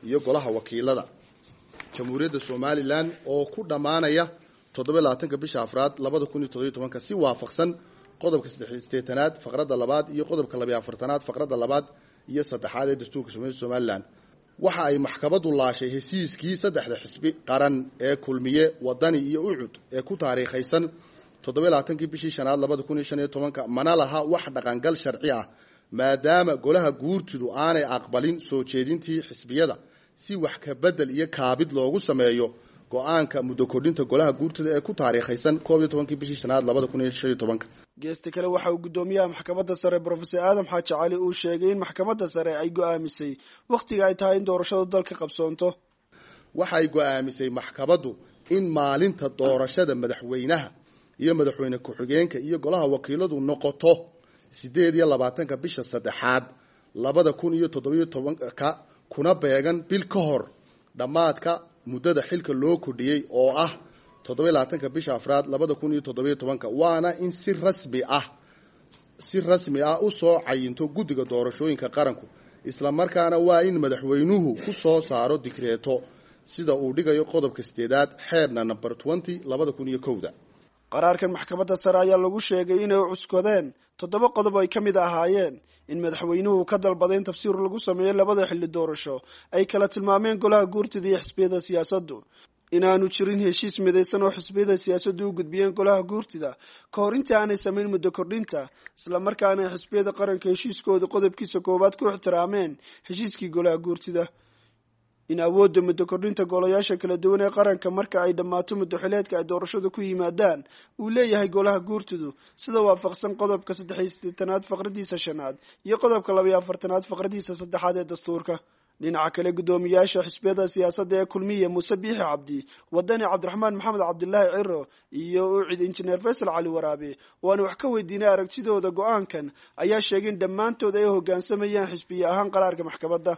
iyo golaha wakiilada Jamhuuriyadda Somalilan, oo ku dhammaanaya 27-ka bisha afraad 2017-ka, si waafaqsan qodobka 88aad faqradda labaad iyo qodobka 42aad faqradda labaad iyo saddexaad ee dastuurka Somaliland. Waxa ay maxkamaddu laashay heshiiskii saddexda xisbi qaran ee Kulmiye, Wadani iyo Ucud ee ku taariikhaysan 27kii bishii shanaad 2015, mana laha wax dhaqangal sharci ah maadaama golaha guurtidu aanay aqbalin soo jeedintii xisbiyada si wax ka bedel iyo kaabid loogu sameeyo go-aanka muddo kordhinta golaha guurtida ee ku taariikhaysan 11kii bishii shanaad 2015. Geesta kale waxa uu guddoomiyaha maxkamadda sare Brofesor Aadam Xaaji Cali uu sheegay in maxkamadda sare ay go'aamisay wakhtiga ay tahay in doorashadu dalka qabsoonto. Waxay go'aamisay maxkamaddu in maalinta doorashada madaxweynaha iyo madaxweyne ku-xigeenka iyo golaha wakiiladu noqoto 28-ka bisha saddexaad 2017, kuna beegan bil ka hor dhammaadka muddada xilka loo kordhiyey oo ah 27-ka bisha afraad 2017, waana in si rasmi ah u soo cayinto guddiga doorashooyinka qaranku, islamarkaana waa in madaxweynuhu ku soo saaro digreeto sida uu dhigayo qodobka 8aad xeerna namber 20 2001. Qaraarkan maxkamadda sare ayaa lagu sheegay inay cuskadeen 7 qodob ay ka mid ahaayeen in madaxweynuhu ka dalbaday in tafsiir lagu sameeyo labada xilli doorasho ay kala tilmaameen golaha guurtida iyo xisbiyada siyaasaddu, inaanu jirin heshiis midaysan oo xisbiyada siyaasaddu u gudbiyeen golaha guurtida ka hor intii aanay samayn muddo kordhinta, islamarkaana ay xisbiyada qaranka heshiiskooda qodobkiisa koowaad ku ixtiraameen heshiiskii golaha guurtida, in awoodda muddo kordhinta golayaasha kala duwan ee qaranka marka ay dhammaato muddo xileedka ay doorashadu ku yimaadaan uu leeyahay golaha guurtidu sida waafaqsan qodobka 83aad faqradiisa shanaad iyo qodobka 42aad faqradiisa saddexaad ee dastuurka. Dhinaca kale guddoomiyaasha xisbiyada siyaasadda ee Kulmiye Muuse Biixi Cabdi, Wadani Cabdiraxmaan Maxamed Cabdilaahi Ciro iyo Ucid Injineer Faysal Cali Waraabe oo aan wax ka weydiinay aragtidooda go-aankan ayaa sheegay in dhammaantood ay hoggaansamayaan xisbiye ahaan qaraarka maxkamadda.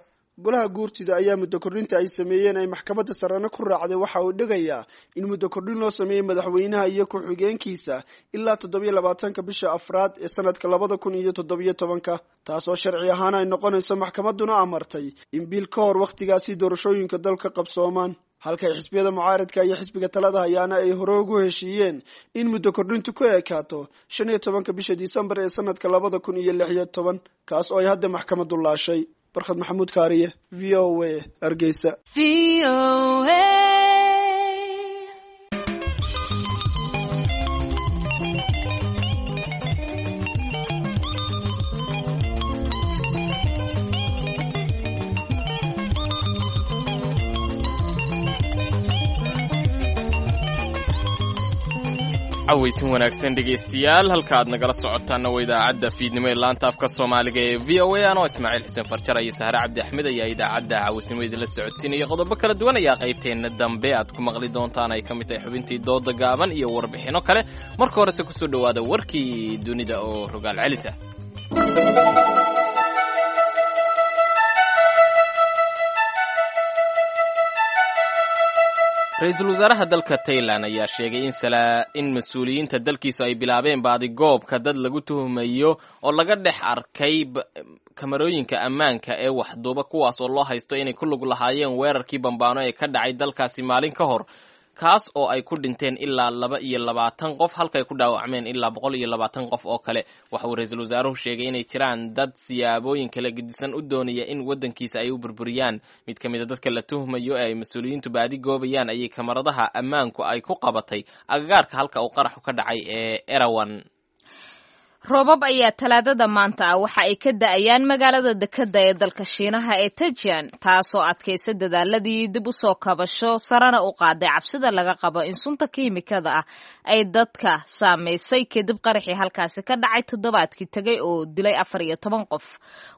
Golaha guurtida ayaa muddo kordhinta ay sameeyeen ay maxkamadda sarena ku raacday waxa uu dhigayaa in muddo kordhin loo sameeyey madaxweynaha iyo ku-xigeenkiisa ilaa 27-ka bisha afraad ee sanadka 2017, taasoo sharci ahaan ay noqonayso maxkamadduna amartay in bil ka hor wakhtigaasi doorashooyinka dalka qabsoomaan, halka ay xisbiyada mucaaradka iyo xisbiga talada hayaana ay hore ugu heshiiyeen in muddo kordhintu ku ekaato 15-ka bisha Disembar ee sanadka 2016, kaas oo ay hadda maxkamaddu laashay. Barkhad Maxamuud Kaariye, VOA, Hargeysa. Cawaysin wanaagsan dhegaystayaal, halka aad nagala socotaanna waa idaacadda fiidnimo ee laanta afka Soomaaliga ee VOA. Anoo Ismaaciil Xuseen Farjar iyo Sahre Cabdi Axmed ayaa idaacadda cawaysnimo idinla socodsiinaya. Qodobo kala duwan ayaa qaybteenna dambe aad ku maqli doontaan, ay ka mid tahay xubintii dooda gaaban iyo warbixinno kale. Marka horese kusoo dhowaada warkii dunida oo rogaal celis ah. Ra-iisul wasaaraha dalka Tailan ayaa sheegay in mas-uuliyiinta dalkiisu ay bilaabeen baadigoobka dad lagu tuhumayo oo laga dhex arkay kamarooyinka ammaanka ee waxduuba, kuwaas oo loo haysto inay ku lug lahaayeen weerarkii bambaano ee ka dhacay dalkaasi maalin ka hor, kaas oo ay ku dhinteen ilaa 22 qof halkaay ku dhaawacmeen ilaa 120 qof oo kale. Waxa uu ra-iisul wasaaruhu sheegay inay jiraan dad siyaabooyin kala gedisan u doonaya in waddankiisa ay u burburiyaan. Mid ka mid a dadka la tuhmayo ee ay mas-uuliyiintu baadi goobayaan ayay kamaradaha ammaanku ay ku qabatay agagaarka halka uu qaraxu ka dhacay ee Erawan. Roobab ayaa talaadada maanta ah waxa ay ka da'ayaan magaalada dekedda ee dalka Shiinaha ee Tajian, taasoo adkaysa dadaaladii dib u soo kabasho sarena u qaaday cabsida laga qabo in sunta kiimikada ah ay dadka saamaysay kadib qaraxii halkaasi ka dhacay toddobaadkii tegay oo dilay 14 qof.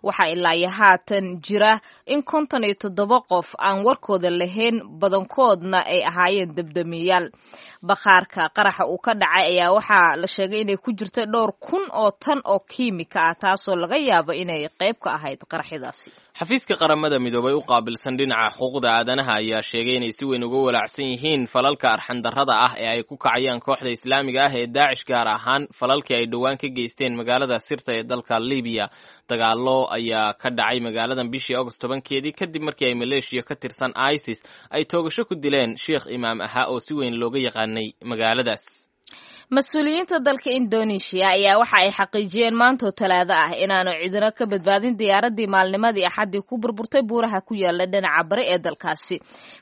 Waxaa ilaa iyo haatan jira in 57 qof aan warkooda lahayn, badankoodna ay ahaayeen debdemiyaal. Bakhaarka qaraxa uu ka dhacay ayaa waxaa la sheegay inay ku jirta dhowr kun oo tan oo kiimika ah, taasoo laga yaabo inay qayb ka ahayd qaraxyadaasi. Xafiiska Qaramada Midoobay u qaabilsan dhinaca xuquuqda aadanaha ayaa sheegay inay si weyn uga walaacsan yihiin falalka arxandarrada ah ee ay ku kacayaan kooxda islaamiga ah ee Daacish, gaar ahaan falalkii ay dhowaan ka geysteen magaalada Sirta ee dalka Libiya. Dagaallo ayaa ka dhacay magaaladan bishii Agost 10-keedii kadib markii ay maleeshiya ka tirsan ISIS ay toogasho ku dileen sheekh imaam ahaa oo si weyn looga yaqaanay magaaladaas. Mas-uuliyiinta dalka Indonesia ayaa waxa ay xaqiijiyeen maantoo Talaado ah inaanu cidina ka badbaadin diyaaraddii maalnimadii Axaddii ku burburtay buuraha ku yaala dhinaca bari ee dalkaasi.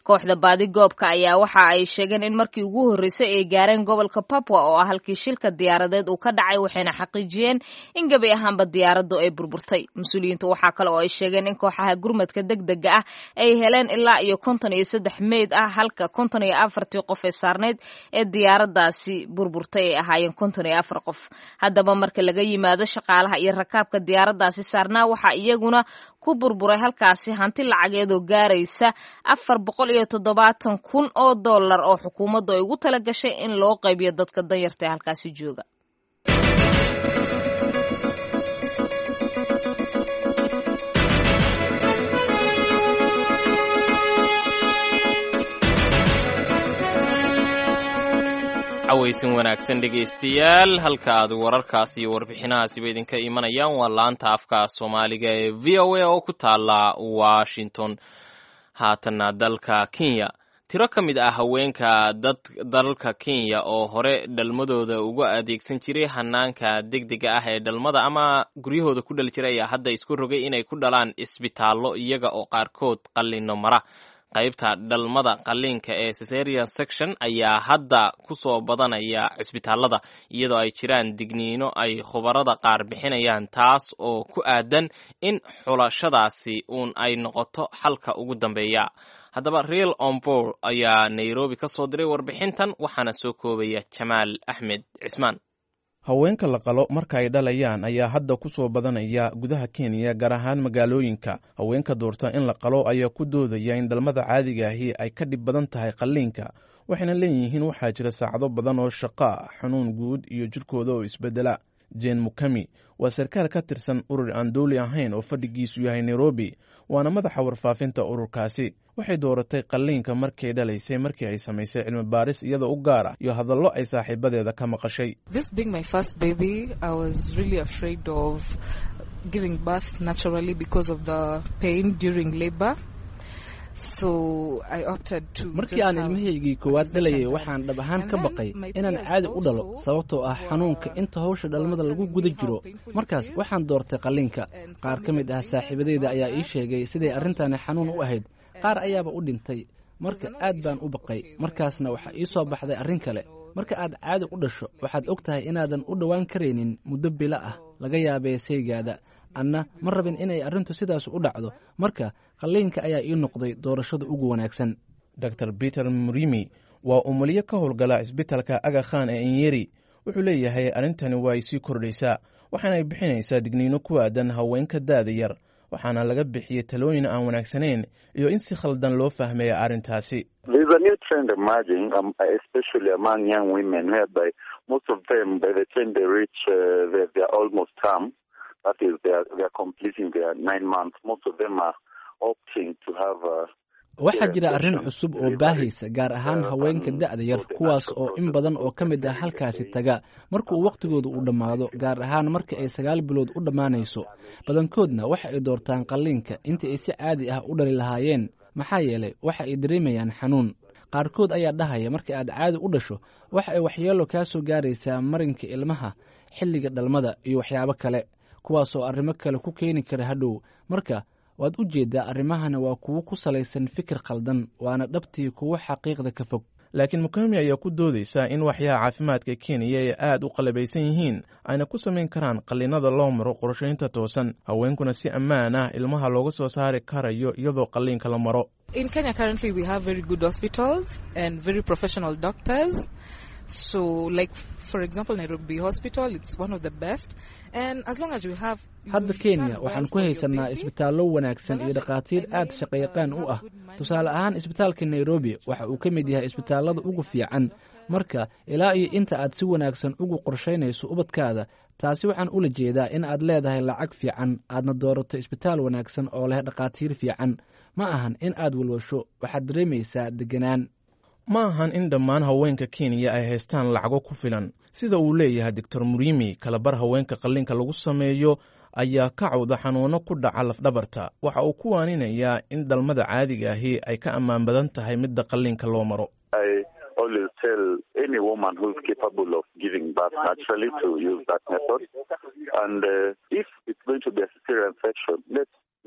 Kooxda baadigoobka ayaa waxa ay sheegeen in markii ugu horreysay ay gaareen gobolka Papua oo ah halkii shilka diyaaradeed uu ka dhacay, waxayna xaqiijiyeen in gebi ahaanba diyaaraddu ay burburtay. Mas-uuliyiintu waxaa kale oo ay sheegeen in kooxaha gurmadka degdega ah ay heleen ilaa iyo 53 meyd ah, halka 54-tii qof ee saarneyd ee diyaaraddaasi burburtay ay ahaayeen 54 qof. Haddaba marka laga yimaado shaqaalaha iyo rakaabka diyaaraddaasi saarnaa, waxaa iyaguna ku burburay halkaasi hanti lacageed oo gaaraysa 470,000 oo dollar oo xukuumaddu ay ugu tala gashay in loo qaybiyo dadka danyarta ee halkaasi jooga. Cawaysin wanaagsan dhegaystayaal, halka aad wararkaas iyo warbixinahaasiba idinka imanayaan waa laanta afka Soomaaliga ee VOA oo ku taala Washington. Haatanna dalka Kenya, tiro ka mid ah haweenka dad dalalka Kenya oo hore dhalmadooda uga adeegsan jiray hanaanka degdega ah ee dhalmada ama guryahooda ku dhali jiray ayaa hadda isku rogay inay ku dhalaan isbitaallo, iyaga oo qaarkood qallinno mara. Qaybta dhalmada qalliinka ee cesarean section ayaa hadda ku soo badanaya cisbitaalada, iyadoo ay jiraan digniino ay khubarada qaar bixinayaan, taas oo ku aadan in xulashadaasi uun ay noqoto xalka ugu dambeeya. Haddaba Real Ombor ayaa Nairobi ka soo diray warbixintan, waxaana soo koobaya Jamaal Axmed Cismaan. Haweenka la qalo marka ay dhalayaan ayaa hadda ku soo badanaya gudaha Kenya, gaar ahaan magaalooyinka. Haweenka doorta in la qalo ayaa ku doodaya in dhalmada caadiga ahi ay ka dhib badan tahay qalliinka, waxayna leeyihiin waxaa jira saacado badan oo shaqo ah, xanuun guud iyo jidhkooda oo isbeddela. Jane Mukami waa sarkaal ka tirsan urur aan dowli ahayn oo fadhigiisu yahay Nairobi, waana madaxa warfaafinta ururkaasi. Waxay dooratay qalliinka markay dhalaysay markii ay samaysay cilmi baaris iyada u gaar ah iyo hadallo ay saaxiibadeeda ka maqashay. This being my first baby, I was really afraid of giving birth naturally because of the pain during labor. So I opted to Markii just aan have ilmahaygii koowaad dhalayay, waxaan dhab ahaan ka baqay inaan caadi u dhalo sababtoo ah xanuunka inta hawsha dhalmada lagu guda jiro. Markaas waxaan doortay qalliinka. Qaar ka mid ah saaxiibadeyda ayaa ii sheegay siday arrintani xanuun u ahayd, qaar ayaaba u dhintay. Marka aad baan u baqay. Markaasna waxaa ii soo baxday arrin kale: marka aad caadi u dhasho, waxaad og tahay inaadan u dhowaan karaynin muddo bilo ah, laga yaabee saygaada. Anna ma rabin inay arrintu sidaas u dhacdo. Marka qalliinka ayaa ii noqday doorashada ugu wanaagsan. Dr Peter Murimi waa umuliyo ka howlgala cisbitalka Aga Khan ee Inyeri. Wuxuu leeyahay arrintani waa ay sii kordhaysaa, waxaana ay bixinaysaa digniino ku aadan haweenka da'da yar, waxaana laga bixiyey talooyin aan wanaagsanayn iyo in si khaldan loo fahmaya arrintaasi. There's a new trend emerging, especially among young women, whereby most of them, by the time they reach their almost term, that is, they are completing their 9 months, most of them are opting to have Waxaa jira arrin cusub oo baahaysa, gaar ahaan haweenka da'da yar, kuwaas oo in badan oo ka mid ah halkaasi taga marka uu wakhtigooda uu dhammaado, gaar ahaan marka ay 9 bilood u dhammaanayso. Badankoodna waxa ay doortaan qalliinka intii ay si caadi ah u dhali lahaayeen, maxaa yeelay waxa ay dareemayaan xanuun. Qaarkood ayaa dhahaya marka aad caadi u dhasho, waxa ay waxyeelo kaa soo gaaraysaa marinka ilmaha xilliga dhalmada iyo waxyaabo kale, kuwaas oo arrimo kale ku keeni kara hadhow. Marka waad u jeeddaa, arrimahana waa kuwo ku salaysan fikir khaldan, waana dhabtii kuwo xaqiiqda ka fog. Laakiin Mukami ayaa ku doodaysa in waxyaha caafimaadka Kenya ay aad u qalabaysan yihiin, ayna ku samayn karaan qalliinada loo maro qorshaynta toosan, haweenkuna si ammaan ah ilmaha looga soo saari karayo iyadoo qalliinka la maro. In Kenya currently we have very good hospitals and very professional doctors. So like, for example, Nairobi Hospital, it's one of the best. And as long as you have Hadda Kenya waxaan ku haysanaa isbitaallo wanaagsan iyo dhakhaatiir aad shaqayaqaan u ah. Tusaale ahaan, isbitaalka Nairobi waxa uu ka mid yahay isbitaallada ugu fiican. Marka ilaa iyo inta aad si wanaagsan ugu qorshaynayso ubadkaada, taasi waxaan ula jeedaa in aad leedahay lacag fiican, aadna doorato isbitaal wanaagsan oo leh dhakhaatiir fiican, ma ahan in aad walwasho, waxaad dareemaysaa deganaan. Ma ahan in dhammaan haweenka Kenya ay haystaan lacago ku filan, sida uu leeyahay Doctor Murimi. Kalabar haweenka qalliinka lagu sameeyo ayaa ka cawda xanuuno ku dhaca lafdhabarta. Waxa uu ku waaninayaa in dhalmada caadiga ahi ay ka ammaan badan tahay midda qalliinka loo maro. I always tell any woman who's capable of giving birth naturally to use that method. And if it's going to be a cesarean section,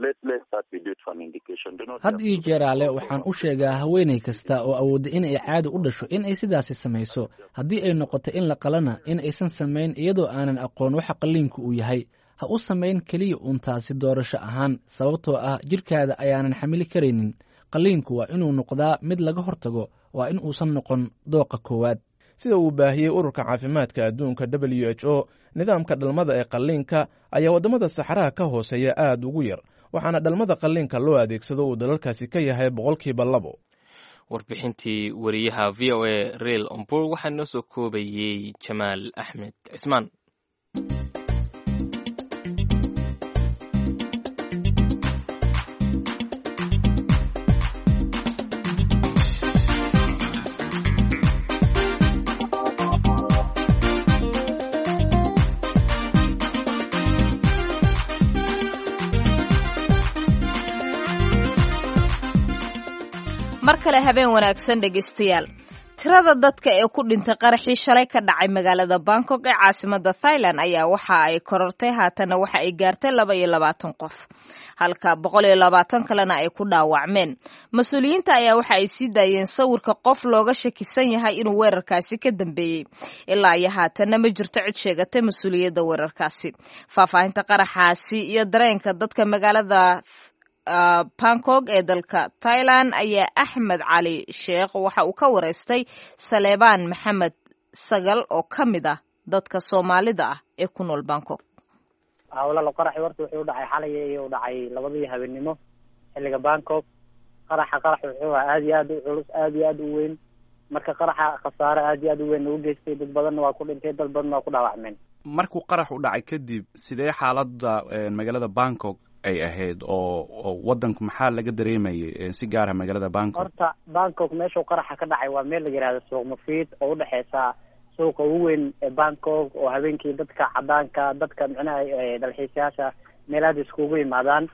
let that be due to an indication. Do not Had iyo jeeraale waxaan u sheegaa haweenay kasta oo awoodda in ay caadi u dhasho in ay sidaasi samayso. Haddii ay noqoto in la qalana, in aysan samayn iyadoo aanan aqoon waxa qalliinku uu yahay. Ha u samayn keliya uun taasi doorasho ahaan, sababtoo ah jidhkaada ayaanan xamili karaynin. Qalliinku waa inuu noqdaa mid laga hortago, waa in uusan noqon dooqa koowaad. Sida uu baahiyey Ururka Caafimaadka Adduunka, WHO, nidaamka dhalmada ee qalliinka ayaa waddamada saxaraha ka hooseeya aad ugu yar, waxaana dhalmada qalliinka loo adeegsado uu dalalkaasi ka yahay 2%. Warbixintii wariyaha VOA Reil Omburg waxaa noo soo koobayey Jamaal Axmed Cismaan. Mar kale habeen wanaagsan, dhegaystayaal. Tirada dadka ee ku dhintay qaraxii shalay ka dhacay magaalada Bangkok ee caasimada Thailand ayaa waxa ay korortay, haatanna waxa ay gaartay 22 qof, halka 120 kalena ay ku dhaawacmeen. Mas-uuliyiinta ayaa waxa ay sii daayeen sawirka qof looga shakisan yahay inuu weerarkaasi ka dambeeyey. Ilaa iyo haatanna ma jirto cid sheegatay mas-uuliyadda weerarkaasi. Faahfaahinta qaraxaasi iyo dareenka dadka magaalada Bangkok ee dalka Thailand ayaa Axmed Cali Sheekh waxa uu ka wareystay Saleebaan Maxamed Sagal oo ka mid ah dadka Soomaalida ah ee ku nool Bangkok. Walaal, qaraxi horta wuxuu u dhacay xalay iyo u dhacay 2dii habeenimo xilliga Bangkok. Qaraxa qarax wuxuu ahaa aad iyo aad u culus, aad iyo aad u weyn. Marka qaraxa khasaare aad iyo aad u weyn ugu geystay, dad badanna waa ku dhintay, dad badanna waa ku dhaawacmeen. Markuu qarax u dhacay kadib, sidee xaaladda magaalada Bangkok ay ahayd oo wadanku maxaa laga dareemayay, si gaara magaalada Bangkok? Horta Bangkok meeshuu qaraxa ka dhacay waa meel la yihahdo Suuq Mufiid, oo udhexeysa suuqa ugu weyn ee Bangkok, oo habeenkii dadka cadaanka, dadka micnaha dalxiisayaasha meel aada iskugu yimaadaan.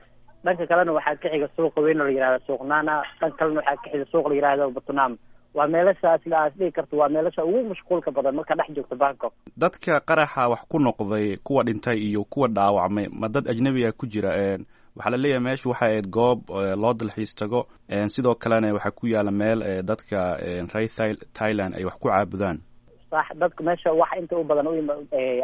Dhanka kalena waxaa ka xiga suuqa weyn oo la yihahdo Suuq Nana. Dhanka kalena waxaa ka xiga suuq la yihahdo Batnam. Waa meelashaas aas dhihi karto waa meelasha ugu mashquulka badan marka dhex joogto Bangkok. Dadka qaraxa wax ku noqday, kuwa dhintay iyo kuwa dhaawacmay, ma dad ajnabiga ku jira? Waxaa la leeyahay meeshu waxay ahayd goob loo dalxiis tago, sidoo kalena waxaa ku yaala meel dadka reer Thailand ay wax ku caabudaan. Sax, dadka meesha wax inta u badan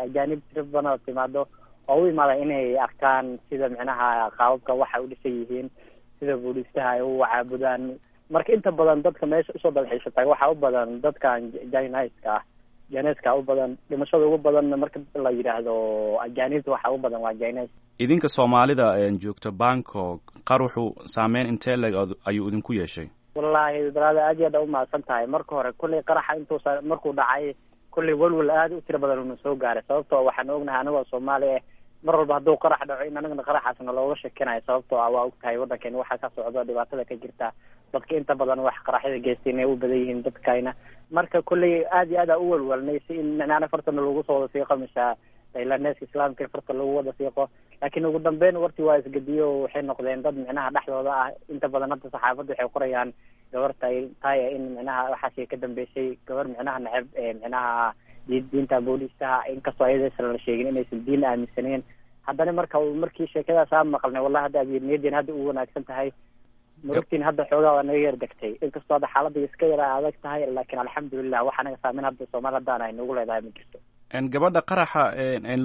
ajaanib tiro badan oo timaado oo u imaada inay arkaan sida micnaha qaababka waxay u dhisan yihiin, sida booliistaha ay u caabudaan. Marka inta badan dadka meesha usoo dalxiisa taga waxaa u badan dadkan jiniska ah, jineska u badan. Dhimashada ugu badan marka la yidhaahdo ajaanibta waxaa u badan waa jines. Idinka Soomaalida joogta Bangkok, qaruxu saameyn intee leg ayuu idinku yeeshay? Wallaahi baraada, aad iyo aad umahadsan tahay. Marka hore kulley qaraxa intuusa markuu dhacay, kulley welwel aad u tiro badan una soo gaaray, sababtoo waxaan ognahay anagoo Soomaali ah mar walba hadduu qarax dhaco in anagana qaraxaasna looga shakinayo, sababtoo ah waa ogtahay waddankeena waxaa ka socdo, dhibaatada ka jirta, dadka inta badan wax qaraxyada geystay inay u badan yihiin dadkayna. Marka kulley aad iyo aad aa u welwelnay si in micnaana fartana lagu soo wada siiqo, mise tailandeska islaamka in farta lagu wada siiqo. Laakiin ugu dambeyn wartii waa isgediyo, waxay noqdeen dad micnaha dhexdooda ah. Inta badan hadda saxaafadda waxay qorayaan gabar tay in micnaha waxaasi ka dambeysay, gabar micnaha neceb ee micnaha diinta booliistaha, inkastoo ayadaysan la sheegin inaysan diin aaminsaneyn. Haddana marka markii sheekadaas aan maqalnay, wallahi hadda niyadeen hadda u wanaagsan tahay, murugtiin hadda xoogaa waa naga yar degtay, inkastoo hadda xaaladda iska yara adag tahay. Laakiin alxamdulilah, wax anaga saameyn hadda Soomaali haddaan ay nagu leedahay ma jirto. Gabadha qaraxa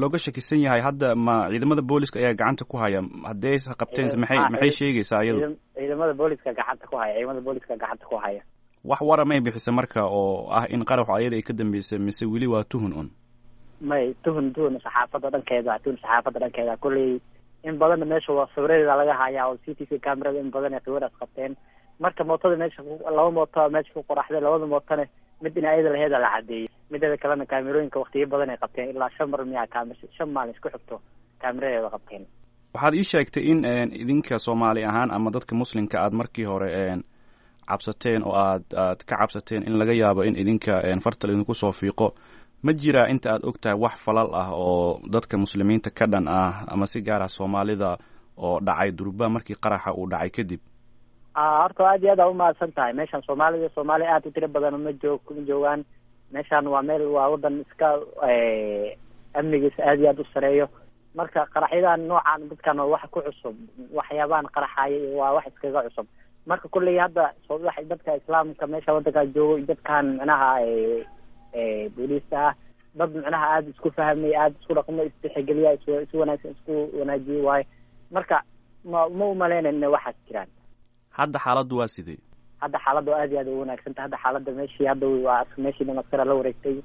looga shakisan yahay hadda ma ciidamada booliska ayaa gacanta ku haya? Haddii aysa qabteen, maxay sheegaysaa iyadu? Ciidamada booliska gacanta ku haya, ciidamada booliska gacanta ku haya. Wax wara may bixisa marka oo ah in qaraxu ayada ay ka dambeysay, mise weli waa tuhun un? May, tuhun saxaafadda dhankeeda, tuhun saxaafadda dhankeeda. Kulley in badanna meesha waa sawiradeeda laga hayaa oo CTV camerada in badan ay sawiraas qabteen. Marka mootada meesha, laba mooto meesha ku qoraxday, labada mootona mid in ayada laheeda la cadeeyey, mideeda kalena kaamerooyinka waqtiyo badan ay qabteen, ilaa shan mar miyaa kaamir 5 maalin isku xigto kaamiradeeda qabteen. Waxaad ii sheegtay in idinka Soomaali ahaan ama dadka muslimka aad markii hore cabsateen oo aad ka cabsateen in laga yaabo in idinka farta laidinku soo fiiqo. Ma jiraa inta aad og tahay wax falal ah oo dadka muslimiinta ka dhan ah ama si gaar ah Soomaalida oo dhacay durba markii qaraxa uu dhacay kadib? Horta aad iyo aad aa umahadsan tahay. Meeshan Soomaalida, Soomaali aad u tiro badan ma joog ma joogaan. Meeshaan waa meel, waa wadan iska amnigiisa aad iyo aad u sareeyo. Marka qaraxyadan noocan dadkan waa wax ku cusub, waxyaabahan qaraxaya waa wax iskaga cusub. Marka kulley hadda dadka islaamka meesha wadankaa joogo, dadkan micnaha booliista ah, dad micnaha aada isku fahmay, aada isku dhaqmo, isdhexgeliya, is wanaagsan isku wanaajiye waaye. Marka ma umaleynayna inay waxaas jiraan. Hadda xaaladdu waa sidee? Hadda xaaladdu aad iyo aad u wanaagsan tahay. Hadda xaaladda meeshii hadda waa meeshii dhan askara la wareegtay.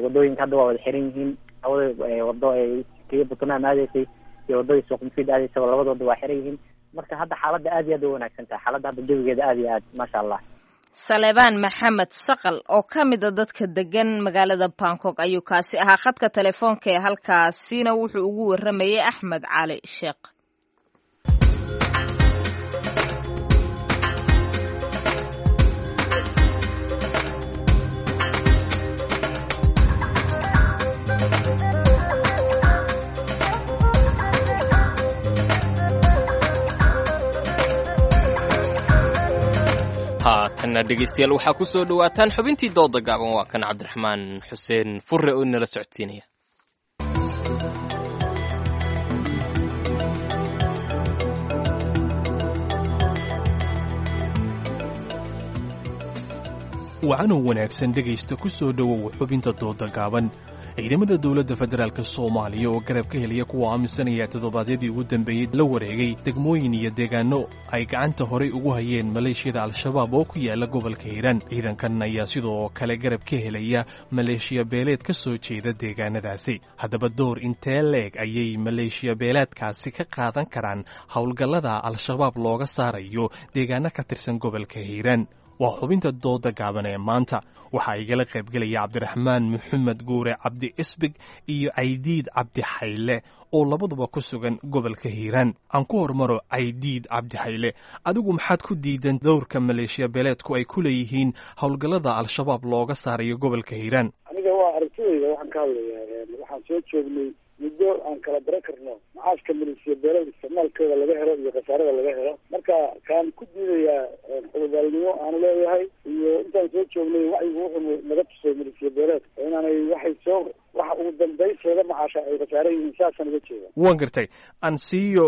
Wadooyinka hadda waa wada xiran yihiin. Labada wado ee kiya Buntland aadaysay iyo wadadii Suuq Mufiid aadaysay, labada wado waa xiran yihiin. Marka hadda xaaladda aad iyo aad u wanaagsan tahay. Xaaladda hadda jawigeeda aad iyo aad, maasha Allah. Saleebaan Maxamed Saqal oo ka mid a dadka degan magaalada Bangkok ayuu kaasi ahaa. Khadka telefoonka ee halkaasina wuxuu ugu waramayay Axmed Cali Sheekh. Haatanna dhegaystayaal, waxaa ku soo dhowaataan xubintii dooda gaaban. Waa kan Cabdiraxmaan Xuseen Furre oo inala socodsiinaya. Wacanoo wanaagsan dhegaysta, ku soo dhowow xubinta dooda gaaban. Ciidamada dowladda federaalk Soomaaliya oo garab ka helaya kuwa aaminsanaya toddobaadyadii ugu dambeeyey la wareegay degmooyin iyo deegaano ay gacanta horay ugu hayeen maleeshiyada Al-Shabaab oo ku yaala gobolka Hiiraan. Ciidankan ayaa sidoo kale garab ka helaya maleeshiya beeleed ka soo jeeda deegaanadaasi. Haddaba door intee leeg ayay maleeshiya beeleedkaasi ka qaadan karaan howlgallada Al-Shabaab looga saarayo deegaano ka tirsan gobolka Hiiraan? Waa xubinta dooda gaaban ee maanta. Waxaa igala qaybgelaya Cabdiraxmaan Maxamed Guure Cabdi Isbig iyo Caydiid Cabdi Xayle oo labaduba ku sugan gobolka Hiiraan. Aan ku hormaro Caydiid Cabdi Xayle. Adigu maxaad ku diidan dowrka maleeshiya beeleedku ay ku leeyihiin howlgallada Al-Shabaab looga saarayo gobolka Hiiraan? Aniga waa aragtidayda waxaan ka hadlayaa. Waxaan soo joognay muddo aan kala bara karno macaashka maleeshiya beeleed isticmaalkooda laga helo iyo khasaarada laga helo. Marka kaan ku diidayaa xubadaalnimo aanu leeyahay iyo intaan soo joognay wacyigu wuxuu naga tusay maleeshiya beeleed inaanay waxay soo waxa ugu dambayseeda macaasha ay khasaare yihiin, saasaan uga jeeda. Waan gartay. Aan siiyo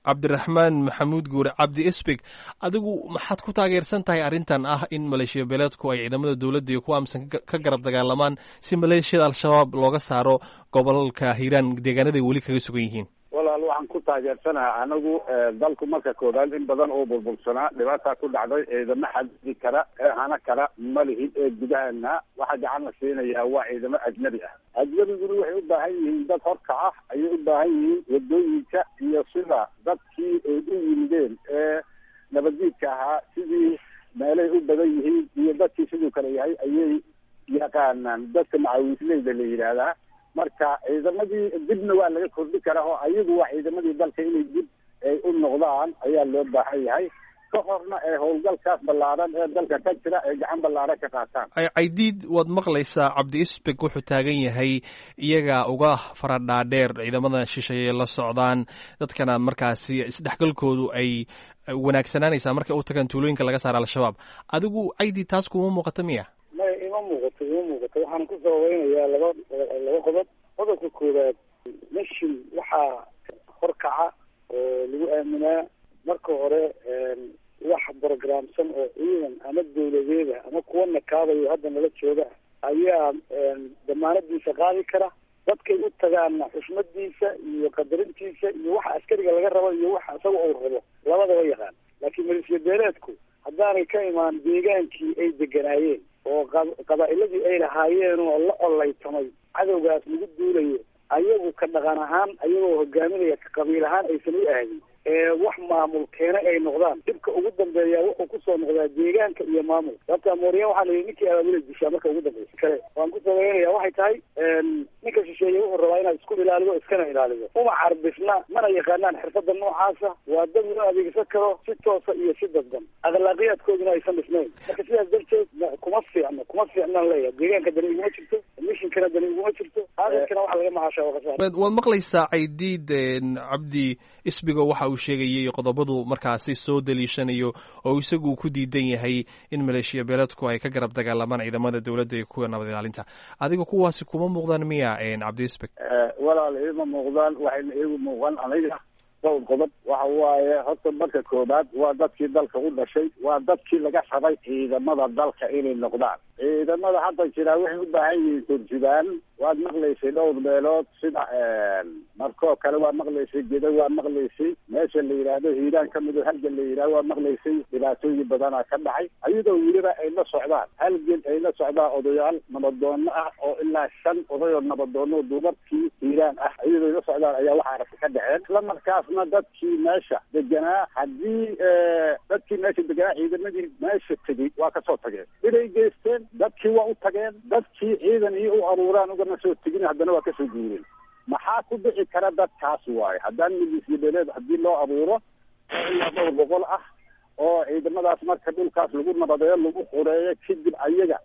Cabdiraxmaan Maxamuud Guure Cabdi Isbig. Adigu maxaad ku taageersan tahay arrintan ah in maleeshiya beeleedku ay ciidamada dowladda iyo kuwa aaminsan ka garab dagaalamaan si maleeshiyada Al-Shabaab looga saaro gobolka Hiiraan deegaanaday weli kaga sugan yihiin? Walaal, waxaan ku taageersanaha anagu dalku marka koobaad in badan oo burbursanaa, dhibaataa ku dhacday, ciidamo xadidi kara ee hana kara ma lihin. Ee gudahana waxaa gacan la siinayaa waa ciidamo ajnabi ah. Ajnabiguna waxay u baahan yihiin dad horkaca ayay u baahan yihiin, wadooyinka iyo sida dadkii ay u yimideen ee nabaddiidka ahaa, sidii meelay u badan yihiin iyo dadkii siduu kale yahay ayay yaqaanaan dadka macawiisleyda la yidhaahdaa. Marka ciidamadii dibna waa laga kordhi karaa oo ayagu waa ciidamadii dalka, inay dib ay u noqdaan ayaa loo baahan yahay, ka horna ee howlgalkaas ballaaran ee dalka ka jira ay gacan ballaaran ka qaataan. Caydiid, waad maqlaysaa Cabdi Isbeg wuxuu taagan yahay iyaga uga faradhaadheer ciidamada shisheeye la socdaan, dadkana markaasi isdhexgalkoodu ay wanaagsanaanaysaa markay u tagaan tuulooyinka laga saara Al-Shabaab. Adigu Caydiid, taas kuma muuqata miya? Maya, ima muuqato, ima muuqato. Waxaan ku sababeynayaa laba qodob. Qodobka koowaad, mishin waxaa horkaca oo lagu aaminaa marka hore wax programsan oo ciidan ama dawladeeda ama kuwa nakaabayo hadda nala jooga ayaa damaanadiisa qaadi kara. Dadkay u tagaanna xushmadiisa iyo qadarintiisa iyo waxa askariga laga rabo iyo waxa isaga uu rabo labadaba yaqaan. Laakiin maleeshiya beeleedku haddaanay ka imaan deegaankii ay deganaayeen oo qabaa'iladii ay lahaayeen oo la collaytamay cadowgaas lagu duulayo, ayagu ka dhaqan ahaan ayagoo hogaaminaya ka qabiil ahaan aysan u aadin ee wax maamul keena ay noqdaan, dhibka ugu dambeeya wuxuu kusoo noqdaa deegaanka iyo maamulka. Sababta mooriyaan waxaa la yidhi ninkii abaabula dishaa marka ugu dambeysa. Kale waan ku sabaynaya waxay tahay, ninka shisheeye wuxuu rabaa inaad isku ilaalido iskana ilaalido. Uma carbisna, mana yaqaanaan xirfada noocaasa. Waa dad loo adeegsan karo si toosa iyo si dadban, akhlaaqiyaadkooduna aysan dhisnayn. Marka sidaas darteed kuma fiicno, kuma fiicnaan leeyahay. Deegaanka dani iguma jirto, mishinkana dani iguma jirto, aadarkana waxa laga macaasha waa khasaar. Waad maqlaysaa Caydiid Cabdi Isbigo waxa uu sheegayay qodobadu markaasi soo daliishanayo oo isagu ku diidan yahay in maleeshiya beeleedku ay ka garab dagaalamaan ciidamada dowladda iyo kuwa nabad ilaalinta. Adiga kuwaasi kuma muuqdaan miya, Cabdi Isbig? Walaal, iima muuqdaan. Waxayna iigu muuqan aniga dhowr qodob. Waxa waaye horta marka koobaad waa dadkii dalka u dhashay, waa dadkii laga rabay ciidamada dalka inay noqdaan. Ciidamada hadda jiraa waxay u baahan yihiin turjubaan. Waad maqlaysay dhowr meelood sida markoo kale, waa maqlaysay Gedo, waa maqlaysay meesha la yidhaahdo Hiiraan ka mid oo Halgan la yidhahdo, waa maqlaysay dhibaatooyin badanaa ka dhacay, ayadoo weliba ay la socdaan Halgan ay la socdaan odayaal nabadoono ah oo ilaa 5 oday oo nabadoono dumarkii Hiiraan ah, iyadoo ay la socdaan ayaa waxa aragta ka dhaceen. Isla markaasna dadkii meesha deganaa, haddii dadkii meesha deganaa ciidamadii meesha tegey waa kasoo tageen, inay geysteen dadkii waa u tageen, dadkii ciidan iyo u aruuraan ugama soo tegin, haddana waa kasoo guureen. Maxaa ku dhici kara dadkaas waaye haddaan milisya beeleed haddii loo abuuro oo ilaa dhowr boqol ah oo ciidamadaas marka dhulkaas lagu nabadeeyo, lagu xureeyo, kadib ayaga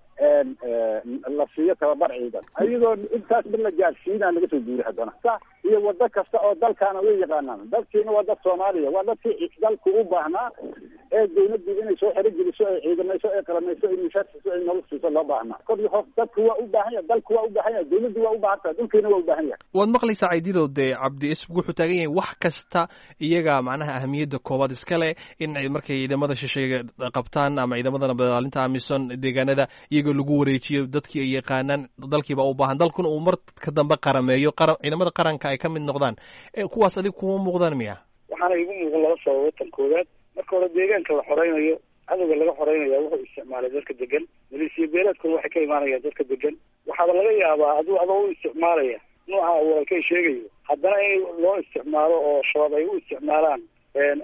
la siiyo tababar ciidan, ayadoo intaasba la gaarsiinaa laga soo guuray haddana iyo wado kasta oo dalkaana way yaqaanaan. Dadkiina waa dad Soomaaliya, waa dadkii dalku u baahnaa ee dawladdu inay soo xerogeliso, ay ciidamayso, ay qalamayso, ay mishaar siiso, ay nolol siiso loo baahnaa. Kor iyo hoos dadku waa u baahan yahay, dalku waa u baahan yahay, dawladdu waa u baahan tahay, dhulkiina waa u baahan yahay. Waad maqlaysaa Caydido, dee Cabdi Isbig wuxuu taagan yahay wax kasta iyaga macnaha ahamiyadda koowaad iska leh in ay markay ciidamada shisheeye qabtaan ama ciidamada nabad ilaalinta AMISOM deegaanada iyagoo lagu wareejiyo dadkii ay yaqaanaan, dalkiiba u baahan, dalkuna uu mar ka dambe qarameeyo, qaran ciidamada qaranka ay ka mid noqdaan. Kuwaas adiga kuma muuqdaan miya? Waxaana igu muuqan laba sababood. Tan koowaad, marka hore deegaanka la xoreynayo, cadowga laga xoreynaya wuxuu isticmaalay dadka degan. Maleeshiya beeleedkuna waxay ka imaanayaan dadka degan. Waxaaba laga yaabaa aduu adoo u isticmaalaya nooca walaalkay sheegayo, haddana in loo isticmaalo oo Shabaab ay u isticmaalaan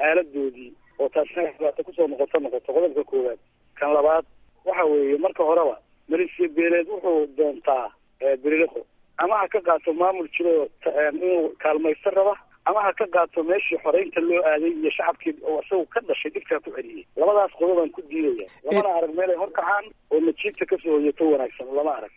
aaladoodii, oo taasina dhibaato kusoo noqoto. Qodobka koowaad. Kan labaad waxa weeye, marka horeba maleeshiya beeleed wuxuu doontaa beriliqo, ama ha ka qaato maamul jiro inuu kaalmaysto raba, ama ha ka qaato meeshii xoreynta loo aaday iyo shacabkii oo isagu ka dhashay dhibkaa ku celiyey. Labadaas qodobaan ku diidaya. Lamana arag meel ay horkacaan oo najiibta kasoo hoyato wanaagsan, lama arag.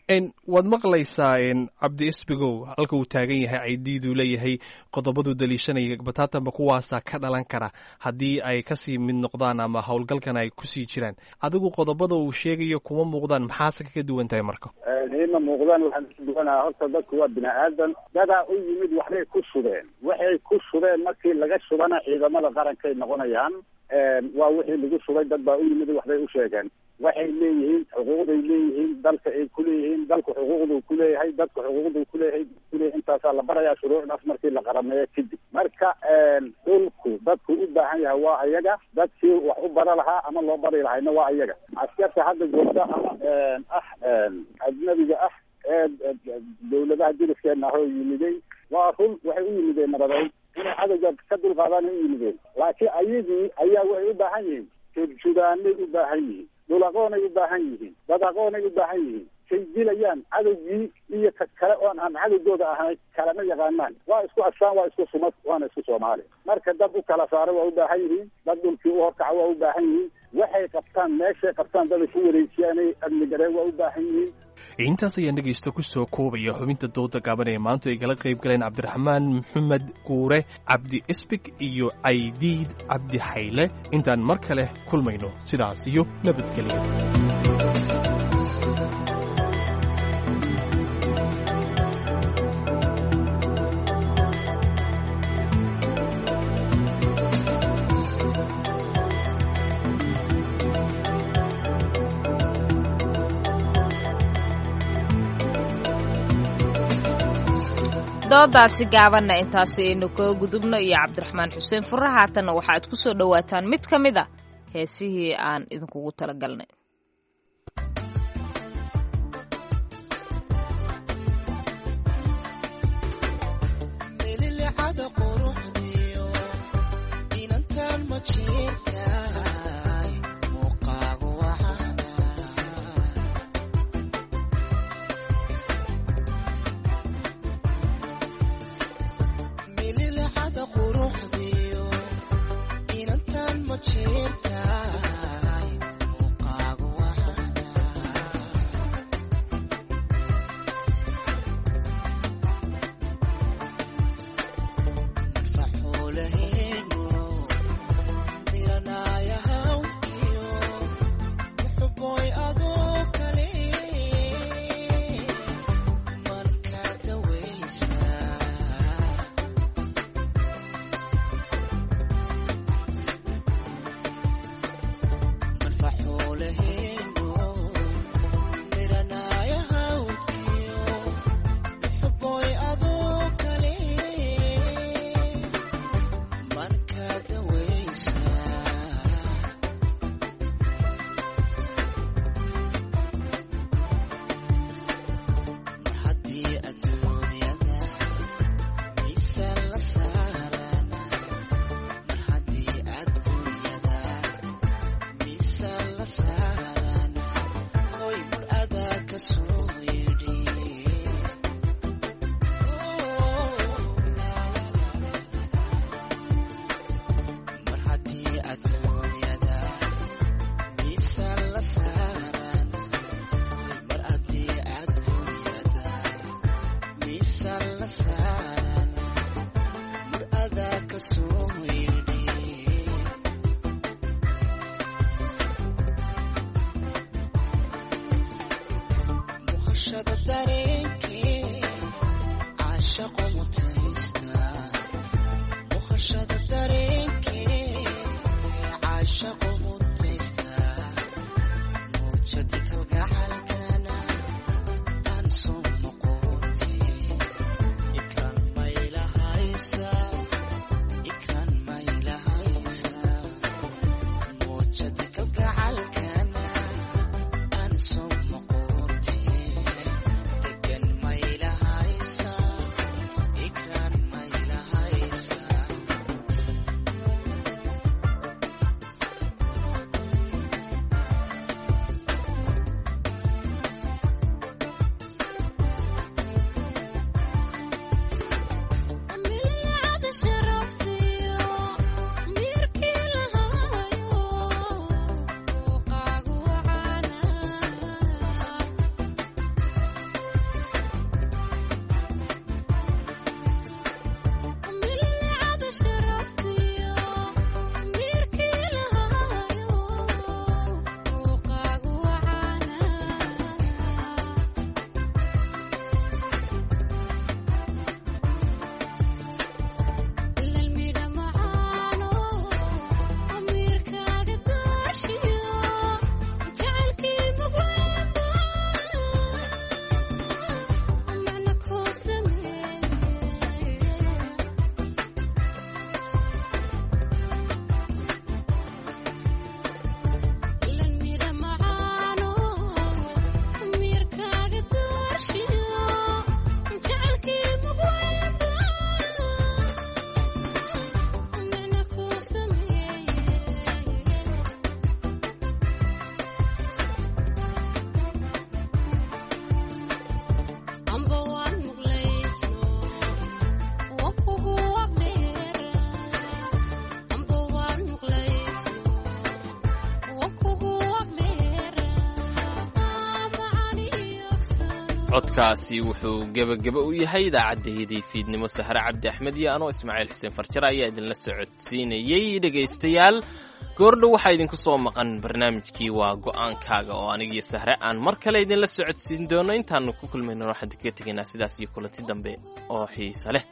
Waad maqlaysaa Cabdi Isbigow halka uu taagan yahay Caydiiduu leeyahay qodobaduu daliishanaya bataatanba kuwaasaa ka dhalan kara haddii ay kasii mid noqdaan ama howlgalkan ay kusii jiraan. Adigu qodobada uu sheegayo kuma muuqdaan, maxaase kaga duwan tahay marka? Ima muuqdaan. Waxaan ka duwanaha horta dadku waa bini aadan, dadaa u yimid waxbay ku shubeen, waxay ku shubeen markii laga shubana ciidamada qarankay noqonayaan. Waa wixii lagu shubay, dad baa u yimid waxbay u sheegeen, waxay leeyihiin xuquuqday leeyihiin dalka ay kuleeyihiin, dalku xuquuqduu kuleeyahay, dadku xuquuqduu kuleeyahay kuleeyahay. Intaasaa la barayaa shuruucdaas markii la qarameeyo kadib. Marka dhulku dadku u baahan yahay waa ayaga, dadkii wax u bara lahaa ama loo bari lahayna waa ayaga. Askarta hadda joogta ama ah ajnabiga ah ee dawladaha diriskeenna ahoo yimiday, waa run waxay u yimideen nabadeyn inay cadowga ka dulqaadaan u yimideen, laakiin ayagii ayaa waxay u baahan yihiin turjubaanay u baahan yihiin, dhul aqoonay u baahan yihiin, dad aqoonay u baahan yihiin. Kay dilayaan cadowgii iyo ka kale oon aan cadowgooda ahayn kalama yaqaanaan. Waa isku astaan, waa isku sumad, waana isku Soomaali. Marka dad u kala saara waa u baahan yihiin, dad dhulkii u horkaca waa u baahan yihiin, waxay qabtaan meeshay qabtaan dad ay ku wareejiyaanay amni gareen waa u baahan yihiin. Intaas ayaan dhegaysta ku soo koobaya xubinta dooda gaaban ee maanta ay kala qayb galeen Cabdiraxmaan Maxamed Guure, Cabdi Isbig iyo Caydiid Cabdi Xayle. Intaan mar kale kulmayno, sidaas iyo nabadgelyo. Doodaasi gaabanna intaasi aynu kaga gudubno iyo Cabdiraxmaan Xuseen Furre. Haatanna waxaad ku soo dhowaataan mid ka mid a heesihii aan idinkugu talagalnay. Codkaasi wuxuu gebageba u yahay idaacaddayadii fiidnimo. Sahre Cabdi Axmed iyo anoo Ismaaciil Xuseen Farjare ayaa idinla socodsiinayey. Dhegaystayaal, goordhow waxaa idinku soo maqan barnaamijkii Waa Go'aankaaga oo anigiyo Sahre aan mar kale idinla socodsiin doono. Intaanu ku kulmayno waxaan kaga tegaynaa sidaas iyo kulanti dambe oo xiise leh.